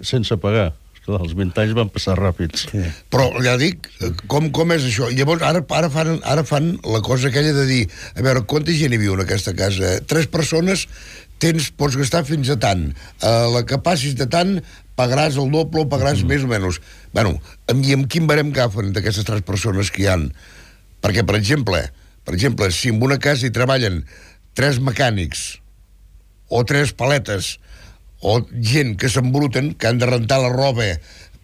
B: sense pagar. Els 20 anys van passar ràpids.
C: Però, ja dic, com és això? Llavors, ara fan la cosa aquella de dir, a veure, quanta gent hi viu en aquesta casa? 3 persones, pots gastar fins a tant. La que passis de tant, pagaràs el doble o pagaràs més o menys. Bueno, i amb quin barem agafen d'aquestes 3 persones que hi ha? Perquè, per exemple, si en una casa hi treballen 3 mecànics o 3 paletes o gent que s'embruten, que han de rentar la roba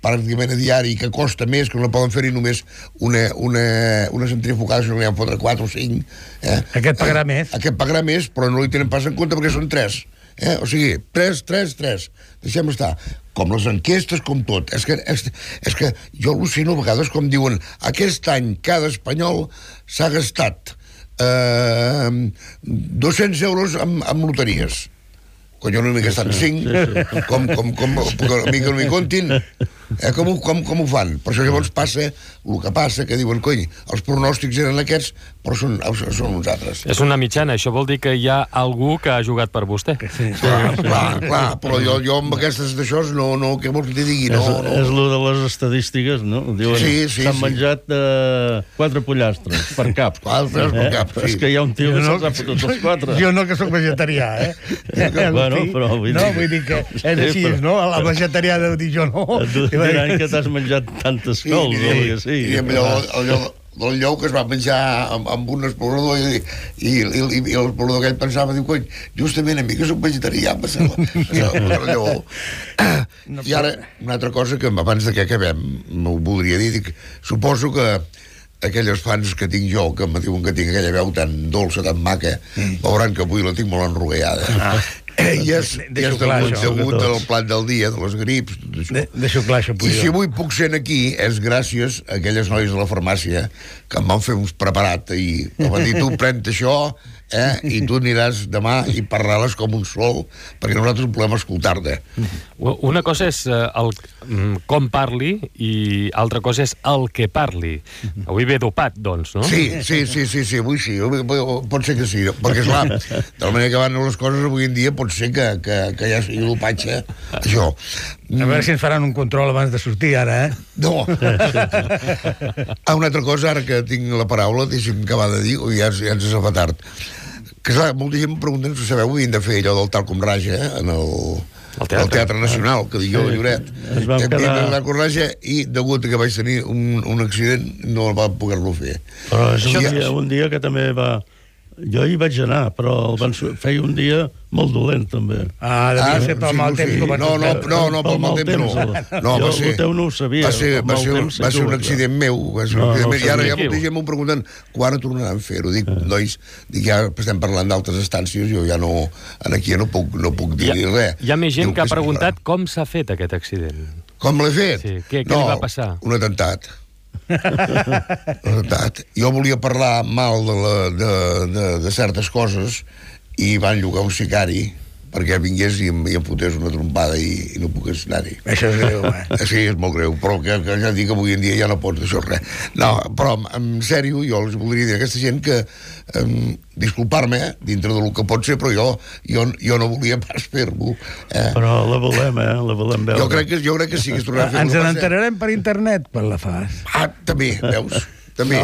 C: pràcticament a diari, que costa més, que no poden fer-hi només una centrifugada, sinó que n'hi ha fotre 4 o 5.
D: Aquest pagarà més.
C: Aquest pagarà més, però no li tenen pas en compte perquè són 3. O sigui, 3. Deixem estar. Com les enquestes, com tot. És que jo al·lucino a vegades com diuen aquest any cada espanyol s'ha gastat 200 euros amb loteries. Quan jo no m'he gastat 5, com a mi que no m'hi comptin. Com ho fan? Per això llavors passa el que passa, que diuen, cony, els pronòstics eren aquests, però són uns altres.
A: És una mitjana, això vol dir que hi ha algú que ha jugat per vostè.
D: Sí.
C: Clar, però jo amb aquestes d'això, no, què vols que t'hi digui?
B: És lo de les estadístiques, no? Diuen, s'han menjat 4 pollastres per cap.
C: 4 per cap, sí.
B: És que hi ha un tio que se'ls ha fotut els 4.
D: Jo no, que sóc vegetarià,
B: Bueno, però vull
D: dir que és així, no? La vegetarià deu dir jo no.
B: Et diran que t'has menjat tantes cols, o el que sigui.
C: I allò del lleu que es va menjar amb un explorador i l'explorador aquell pensava, diu, cony, justament a mi que soc vegetarià passava el lleó. I ara, una altra cosa que abans de que acabem m'ho voldria dir, dic, suposo que aquelles fans que tinc jo, que em diuen que tinc aquella veu tan dolça, tan maca, veuran que avui la tinc molt enrogueada. I és degut al plat del dia, de les grips, tot això.
D: Deixo clar això,
C: I si avui puc ser aquí és gràcies a aquelles noies de la farmàcia que em van fer uns preparat i em van dir, tu pren això i tu aniràs demà i parlaràs com un sol, perquè nosaltres volem escoltar-te.
A: Una cosa és com parli i altra cosa és el que parli. Avui ve dopat, doncs, no?
C: Sí, avui sí, pot ser que sí, perquè esclar, de la manera que van les coses avui en dia pot ser que ja sigui dopatge, això.
D: A veure si ens faran un control abans de sortir, ara,
C: No. Una altra cosa, ara que tinc la paraula, deixi'm acabar de dir, ja ens fa tard. Que clar, molta gent em pregunta, si sabeu, havien de fer allò del tal com raja, en el Teatre Nacional, que dic jo de Lloret.
B: Ens vam quedar...
C: I degut a que vaig tenir un accident no va poder-lo fer.
B: Però és un dia que també va... Jo hi vaig anar, però el van feia un dia molt dolent, també.
D: Devia ser pel mal temps.
C: No, pel mal temps no.
B: Jo el teu no ho sabia.
C: Va ser un accident meu. I ara ja molta gent m'ho pregunten quan tornaran a fer-ho. Dic, nois, ja estem parlant d'altres estàncies, jo ja no... Aquí ja no puc dir res.
A: Hi ha més gent que ha preguntat com s'ha fet aquest accident.
C: Com l'he fet?
A: Sí, què li va passar?
C: Un atemptat. Jo volia parlar mal de certes coses i van llogar un sicari perquè vingués i em fotés una trompada i no pogués anar-hi.
D: Això és greu,
C: Sí, és molt greu, però que ja dic que avui en dia ja no pots això res. No, però en sèrio jo els voldria dir a aquesta gent que disculpar-me dintre del que pot ser, però jo no volia pas fer-ho.
B: Però la volem veure.
C: Jo crec que sí que es tornarà a fer.
D: Ens n'enterarem per internet quan la fas.
C: També, veus? També.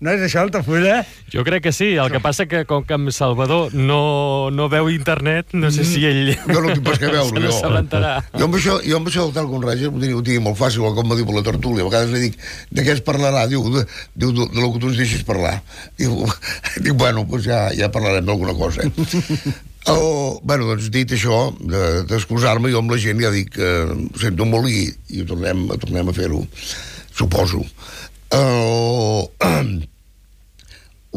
D: No és això, Altafulla?
A: Jo crec que sí, el que passa que com que en Salvador no veu internet, no sé si ell...
C: Jo no tinc pas que veure,
A: se n'assabentarà.
C: Jo amb això del tal com raja ho tinc molt fàcil, com m'ha dit per la tertúlia. A vegades li dic, de què es parlarà? Diu, de lo que tu ens deixis parlar. Dic, bueno, doncs ja parlarem d'alguna cosa. Bueno, doncs dit això, d'excusar-me, jo amb la gent ja dic que ho sento molt i ho tornem a fer-ho, suposo. Lo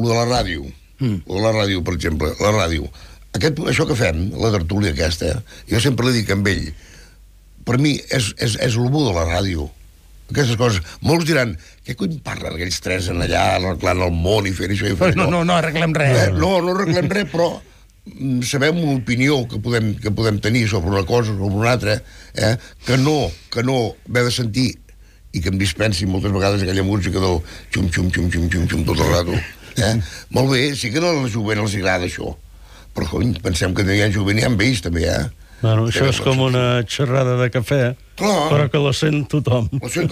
C: de la ràdio, per exemple, la ràdio. Això que fem, la tertúlia aquesta, jo sempre li dic amb ell, per mi és el bo de la ràdio. Aquestes coses. Molts diran, què cony parlen aquells tres en allà, arreglant el món i fent això i fent
D: allò? No arreglem res.
C: No arreglem res, però sabem una opinió que podem tenir sobre una cosa o sobre una altra, que no haver de sentir i que em dispensi moltes vegades aquella música del xum-xum tot el rato. Molt bé, sí que a la jovent els agrada això, però cony, pensem que hi ha jovent i hi ha vells també,
B: Bueno, això és com una xerrada de cafè, però que la sent tothom.
C: La sent.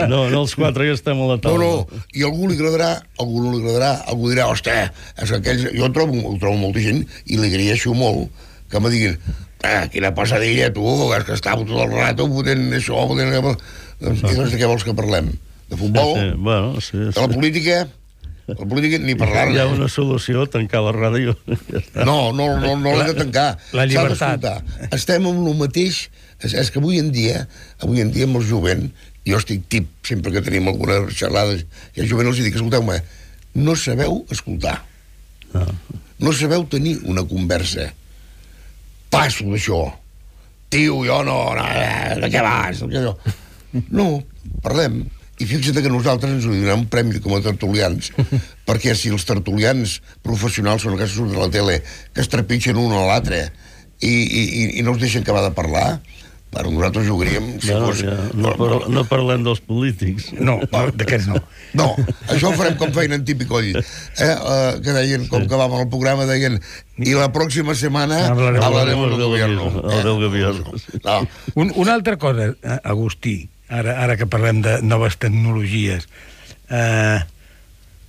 B: No, els quatre ja estem a la taula.
C: No, i a algú li agradarà, algú dirà, hòstia, és que aquells... Jo trobo molta gent i li agraeixo molt que me diguin, quina passadilla, tu, és que estava tot el rato fotent això, fotent... I doncs de què vols que parlem? De futbol?
B: Sí.
C: De la política? La política ni parlar-ne.
B: Hi ha una solució, tancar la ràdio.
C: No l'hem de tancar.
D: La llibertat.
C: Estem amb el mateix... És que avui en dia amb el jovent, jo estic tip, sempre que tenim algunes xerrades, i el jovent els dic, escolteu-me, no sabeu escoltar. No sabeu tenir una conversa. Passo d'això. Tio, jo no... De què vas? No, parlem. I fixa't que nosaltres ens ho donem un premi com a tertulians, perquè si els tertulians professionals són aquests que surten a la tele, que es trepitgen un a l'altre i no els deixen acabar de parlar, Bueno, nosaltres jugaríem... Si fos...
B: No parlem dels polítics.
D: No, d'aquests no.
C: No, això ho farem com feien en Tipicoll. Que deien, com que vam al programa, deien i la pròxima setmana hablaremos del gobierno.
B: Del gobierno.
C: No.
D: Una altra cosa, Agustí, ara que parlem de noves tecnologies,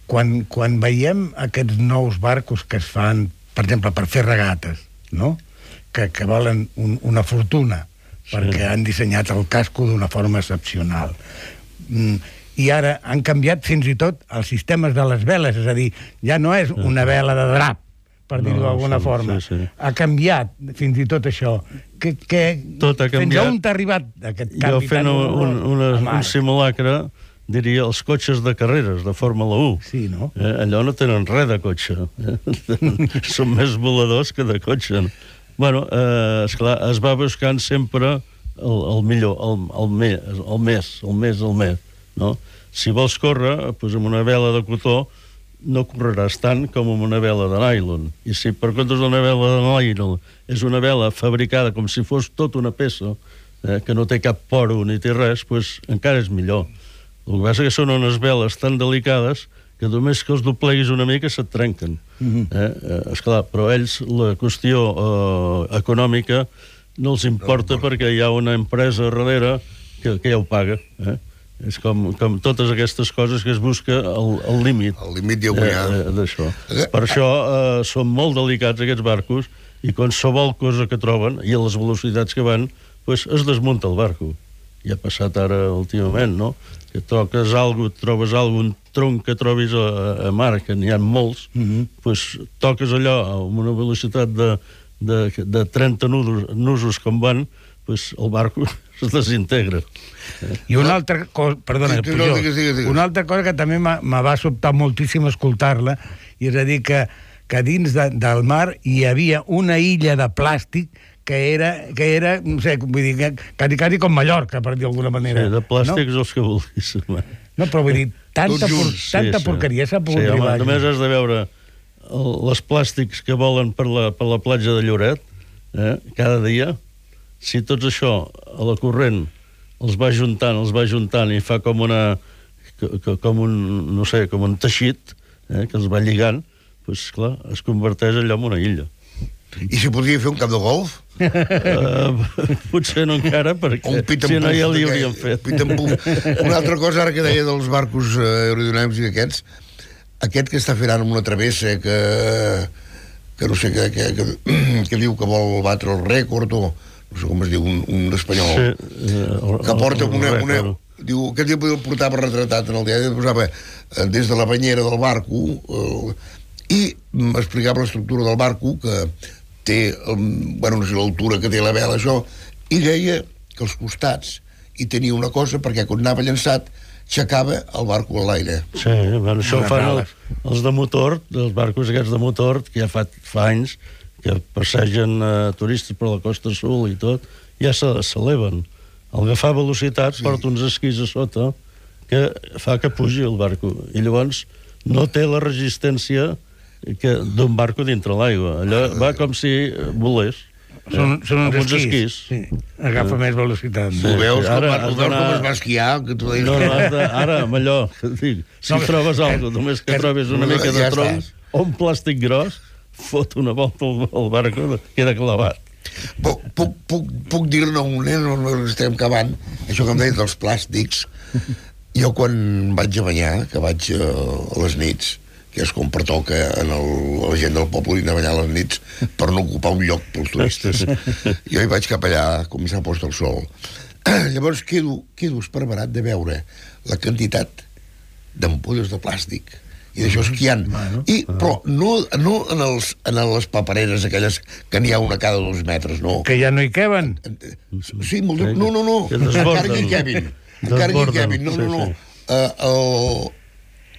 D: quan veiem aquests nous barcos que es fan, per exemple, per fer regates, no? Que valen una fortuna, perquè han dissenyat el casco d'una forma excepcional. I ara han canviat fins i tot els sistemes de les veles, és a dir, ja no és una vela de drap, per dir-ho d'alguna forma. Ha canviat fins i tot això.
B: Tot ha canviat.
D: Fins on t'ha arribat aquest canvi?
B: Jo fent un simulacre diria els cotxes de carreres, de Fórmula 1.
D: Sí, no?
B: Allò no tenen res de cotxe. Són més voladors que de cotxe. Bueno, esclar, es va buscant sempre el millor, el més, no? Si vols córrer, doncs amb una vela de cotó no correràs tant com amb una vela de nylon. I si per comptes d'una vela de nylon és una vela fabricada com si fos tota una peça, que no té cap poro ni té res, doncs encara és millor. El que passa que són unes veles tan delicades que només que els dobleguis una mica se't trenquen. Esclar, però ells la qüestió econòmica no els importa perquè hi ha una empresa darrere que ja ho paga. És com totes aquestes coses que es busca el límit.
C: El límit ja ho hi ha.
B: D'això. Per això són molt delicats aquests barcos i qualsevol cosa que troben i a les velocitats que van, doncs es desmunta el barco. I ha passat ara últimament, no? Que trobes algun tronc que trobis a mar, que n'hi ha molts, doncs toques allò amb una velocitat de 30 nusos com van, doncs el barco es desintegra.
D: I una altra cosa, perdona, una altra cosa que també me va sobtar moltíssim escoltar-la, i és a dir que dins del mar hi havia una illa de plàstic que era, no sé, vull dir, quasi com Mallorca, per dir d'alguna manera.
B: Sí, de plàstics els que vulguis.
D: No, però vull dir, tanta porqueria s'ha pogut arribar.
B: Només has de veure els plàstics que volen per la platja de Lloret, cada dia. Si tots això, a la corrent, els va juntant i fa com un teixit, que els va lligant, doncs, clar, es converteix allò en una illa.
C: I si podria fer un camp de golf?
B: Potser no encara, perquè si no ja li hauríem fet.
C: Una altra cosa, ara que deia dels barcos aerodinàmics i aquests, aquest que està fent ara amb una travessa que no sé, que diu que vol batre el rècord, o no sé com es diu, un espanyol, que porta una... Diu, aquest dia el portava retratat en el diari, posava des de la banyera del barco i explicava l'estructura del barco, que té, bueno, no sé l'altura que té la vela, això, i deia que als costats hi tenia una cosa perquè quan anava llançat aixecava el barco a l'aire.
B: Sí, bueno, això ho fan els de motor, els barcos aquests de motor, que ja fa anys que passegen turistes per la Costa Sud i tot, ja s'eleven. Al agafar velocitats porta uns esquís a sota que fa que pugi el barco. I llavors no té la resistència d'un barco dintre l'aigua. Allò va com si volés.
D: Són uns esquís. Sí. Agafa més velocitat.
C: Ho veus com es va esquiar?
B: No, ara amb allò, si trobes alguna cosa, només que trobis una mica de tronc o un plàstic gros, fot una volta al barco, queda clavat.
C: Puc dir-ne no estem acabant, això que em deia dels plàstics. Jo quan vaig a banyar, que vaig a les nits, que és com pertoca a la gent del poble anar a banyar a les nits per no ocupar un lloc pels turistes. Jo hi vaig cap allà, com s'ha post el sol. Llavors quedo esparverat de veure la quantitat d'ampolles de plàstic i d'això esquiant. Però no en les papereres aquelles que n'hi ha una cada 2 metres, no.
D: Que ja no hi queben.
C: Sí, molt bé. No. Encara hi quebin. No.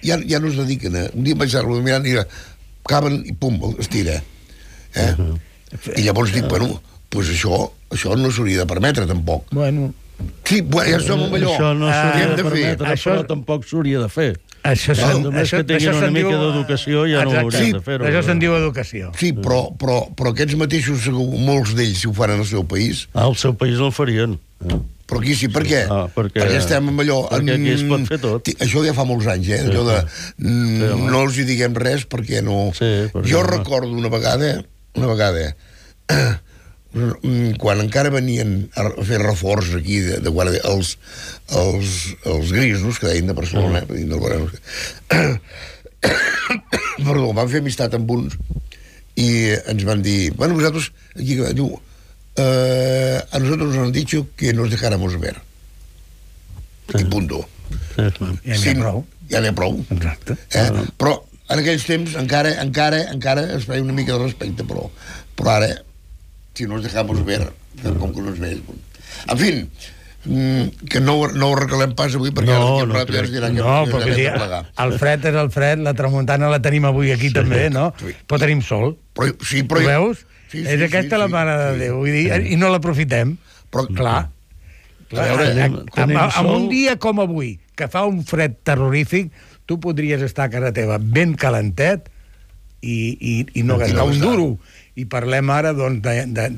C: Ja no es dediquen a... Un dia em vaig anar mirant i caben i pum, es tira. I llavors dic, bueno, doncs això no s'hauria de permetre, tampoc.
D: Bueno...
C: Sí, ja som amb allò.
B: Això no s'hauria de permetre, però tampoc s'hauria de fer. Només que tinguin una mica d'educació ja no haurien de fer-ho.
D: Això se'n diu educació.
C: Sí, però aquests mateixos, molts d'ells, si ho fan en el seu país...
B: Al seu país no el farien.
C: Però aquí sí, per què? Perquè estem amb allò...
B: Perquè aquí es pot fer tot.
C: Això ja fa molts anys, allò de... No els hi diguem res perquè no... Jo recordo una vegada, quan encara venien a fer reforç aquí de guàrdia, els grisos, que deien de Barcelona, perdó, van fer amistat amb uns i ens van dir, bueno, vosaltres, aquí, diu, a nosotros nos han dicho que nos dejáramos ver. I punto. Ja n'hi ha prou.
D: Exacte.
C: Però en aquells temps encara es feia una mica de respecte, però ara, si nos dejamos ver, com que no es veig. En fi, que no ho recalem pas avui, perquè
D: no, perquè el fred és el fred, la tramuntana la tenim avui aquí també, no? Però tenim sol. Ho veus? És aquesta la mare de Déu, vull dir, i no l'aprofitem. Però, clar, amb un dia com avui, que fa un fred terrorífic, tu podries estar a casa teva ben calentet i no gastar un duro. I parlem ara, doncs,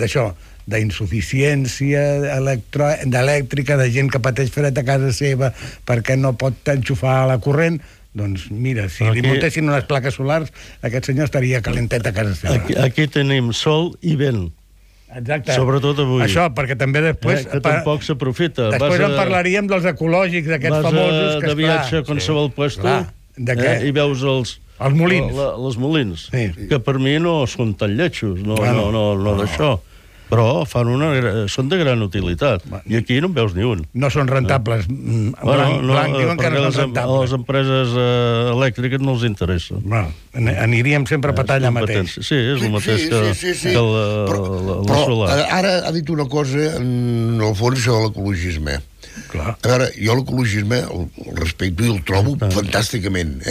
D: d'això, d'insuficiència elèctrica, de gent que pateix fred a casa seva perquè no pot enxufar la corrent. Doncs mira, si li muntessin unes plaques solars, aquest senyor estaria calentet a casa seva.
B: Aquí tenim sol i vent.
D: Exacte.
B: Sobretot avui.
D: Això, perquè també després...
B: Que tampoc s'aprofita.
D: Després en parlaríem dels ecològics, d'aquests famosos...
B: Vas de viatge a qualsevol puesto i veus els
D: molins.
B: Els molins, que per mi no són tan lletjos, no d'això. Però són de gran utilitat. I aquí no en veus ni un.
D: No són rentables. Blanc diuen que no són rentables.
B: A les empreses elèctriques no els interessa.
D: Aniríem sempre a patar allà mateix.
B: Sí, és el mateix que el solar.
C: Però ara ha dit una cosa, en el fons, això de l'ecologisme. A veure, jo l'ecologisme el respecto i el trobo fantàsticament,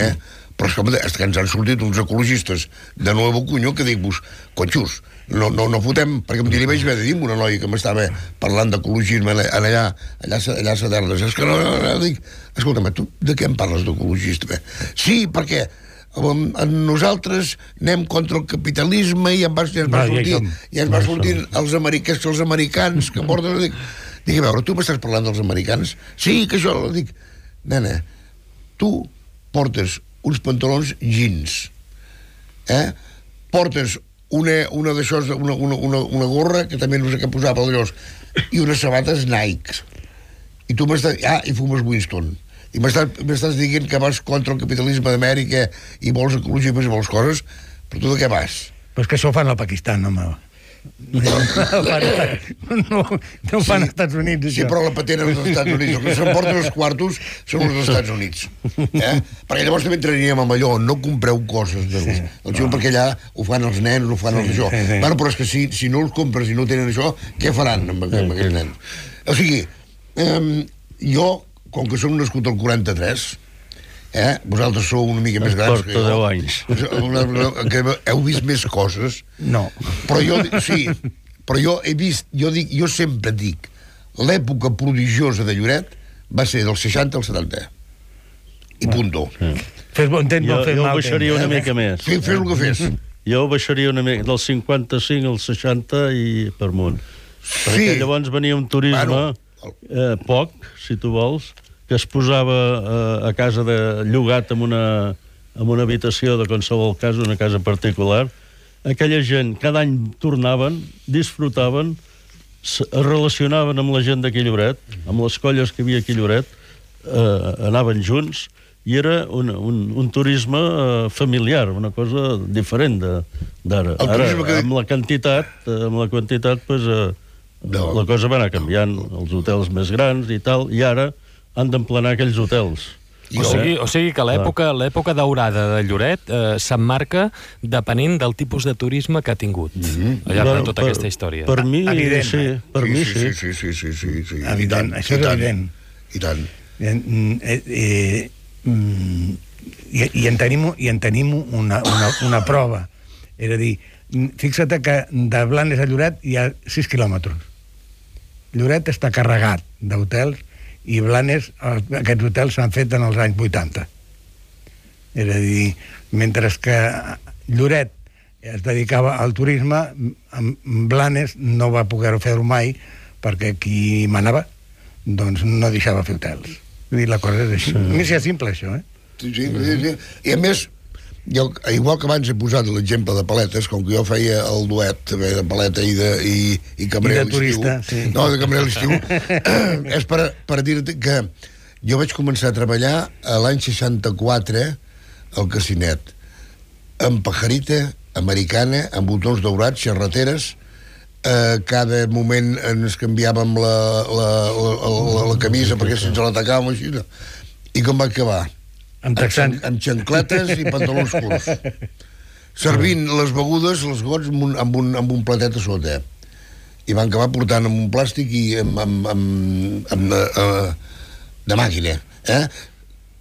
C: però és que ens han sortit uns ecologistes de Nuevo Cuño que dic-vos, conxos, no fotem, perquè em diria, vaig haver de dir una noia que m'estava parlant d'ecologisme allà a Sadernes, és que no, dic, escolta'm, tu de què em parles d'ecologista? Sí, perquè nosaltres anem contra el capitalisme i ens va sortir els americans que porten... Dic, a veure, tu m'estàs parlant dels americans? Sí, que això... Dic, nena, tu portes uns pantalons jeans, portes una d'això, una gorra, que també no sé què posava per allòs, i unes sabates Nike. I tu m'estàs... i fumes Winston. I m'estàs dient que vas contra el capitalisme d'Amèrica i vols ecologisme i vols coses, però tu de què vas?
D: Però és que això ho fan al Pakistan, home. No ho fan als Estats Units, això.
C: Sí, però la patena és dels Estats Units. Els que s'emporten els quartos són els dels Estats Units. Perquè llavors també entraríem amb allò, no compreu coses perquè allà ho fan els nens, ho fan els això. Bueno, però és que si no els compres i no tenen això, què faran amb aquells nens? O sigui, jo, com que som nascut al 43, vosaltres sou una mica més grans que jo.
B: Porta 10 anys.
C: Que heu vist més coses.
D: No.
C: Però jo he vist, jo sempre dic, l'època prodigiosa de Lloret va ser del 60 al 70. I punto.
D: Fes bon temps, no fes mal temps.
B: Jo baixaria una mica més.
C: Fes el que fes.
B: Jo baixaria una mica, del 55 al 60 i per amunt. Perquè llavors venia un turisme poc, si tu vols, que es posava a casa de llogat en una habitació de qualsevol cas, una casa particular. Aquella gent cada any tornaven, disfrutaven, es relacionaven amb la gent d'aquí Lloret, amb les colles que hi havia aquí a Lloret, anaven junts, i era un turisme familiar, una cosa diferent d'ara. Ara, amb la quantitat, pues, la cosa va anar canviant, els hotels més grans i tal, i ara han d'emplenar aquells hotels.
A: O sigui que l'època daurada de Lloret s'emmarca depenent del tipus de turisme que ha tingut al llarg de tota aquesta història.
B: Per mi, sí. Per mi, sí.
C: Sí.
D: Evident, això és evident.
C: I tant.
D: I en tenim una prova. És a dir, fixa't que de Blanes a Lloret hi ha 6 quilòmetres. Lloret està carregat d'hotels i Blanes, aquests hotels s'han fet en els anys 80. És a dir, mentre que Lloret es dedicava al turisme, Blanes no va poder fer-ho mai perquè qui manava doncs no deixava fer hotels. Vull dir, la cosa és així. Més és simple, això, eh?
C: Sí. I a més, jo, igual que abans he posat l'exemple de paletes, com que jo feia el duet també de paleta i cambrer a l'estiu.
D: turista, sí.
C: No, de cambrer a l'estiu. És per dir-te que jo vaig començar a treballar a l'any 64 al Casinet, amb pajarita americana, amb botons daurats, xerrateres, cada moment ens canviàvem la camisa perquè si ens la tacàvem així. I com va acabar? Amb xancletes i pantalons curts, servint les begudes, els gots, amb un platet a sota, i van acabar portant amb un plàstic i de màquina.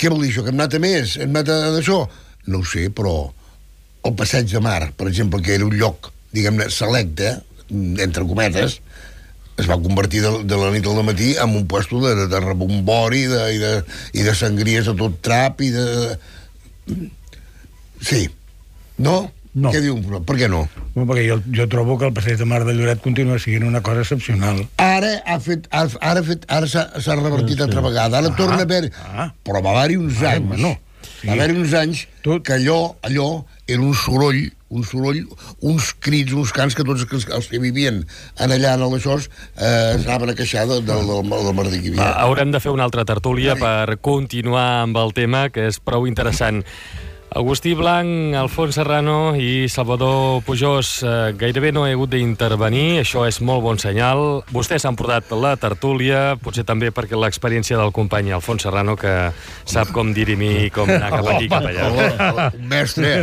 C: Què vol dir això? Que hem anat a més? Hem anat a d'això? No ho sé, però el Passeig de Mar, per exemple, que era un lloc, diguem-ne, selecte, entre cometes, es va convertir de la nit al matí en un puesto de rebombori i de sangries a tot trap i de... Sí. No?
D: No.
C: Què diu? Per què no?
D: Perquè jo trobo que el Passeig de Mar de Lloret continua sent una cosa excepcional.
C: Ara s'ha revertit altra vegada. Ara torna a haver... Però va haver-hi uns anys.
D: No. Sí.
C: Va haver-hi uns anys que allò era un soroll, uns crits, uns cants que tots els que vivien allà en això anaven a queixar del merder que hi havia.
A: Haurem de fer una altra tertúlia per continuar amb el tema, que és prou interessant. Agustí Blanc, Alfons Serrano i Salvador Pujós, gairebé no he hagut d'intervenir, això és molt bon senyal. Vostès han portat la tertúlia, potser també perquè l'experiència del company Alfons Serrano, que sap com dirimir, com anar cap aquí, cap allà.
C: Un mestre.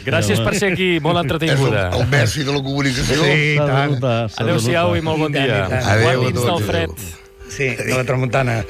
A: Gràcies per ser aquí, molt entretinguda.
C: És el mestre de la comunicació.
D: Sí, tant.
A: Adéu-siau i molt bon dia.
C: Adéu a
A: Guardins del fred.
D: Sí, de la tramuntana.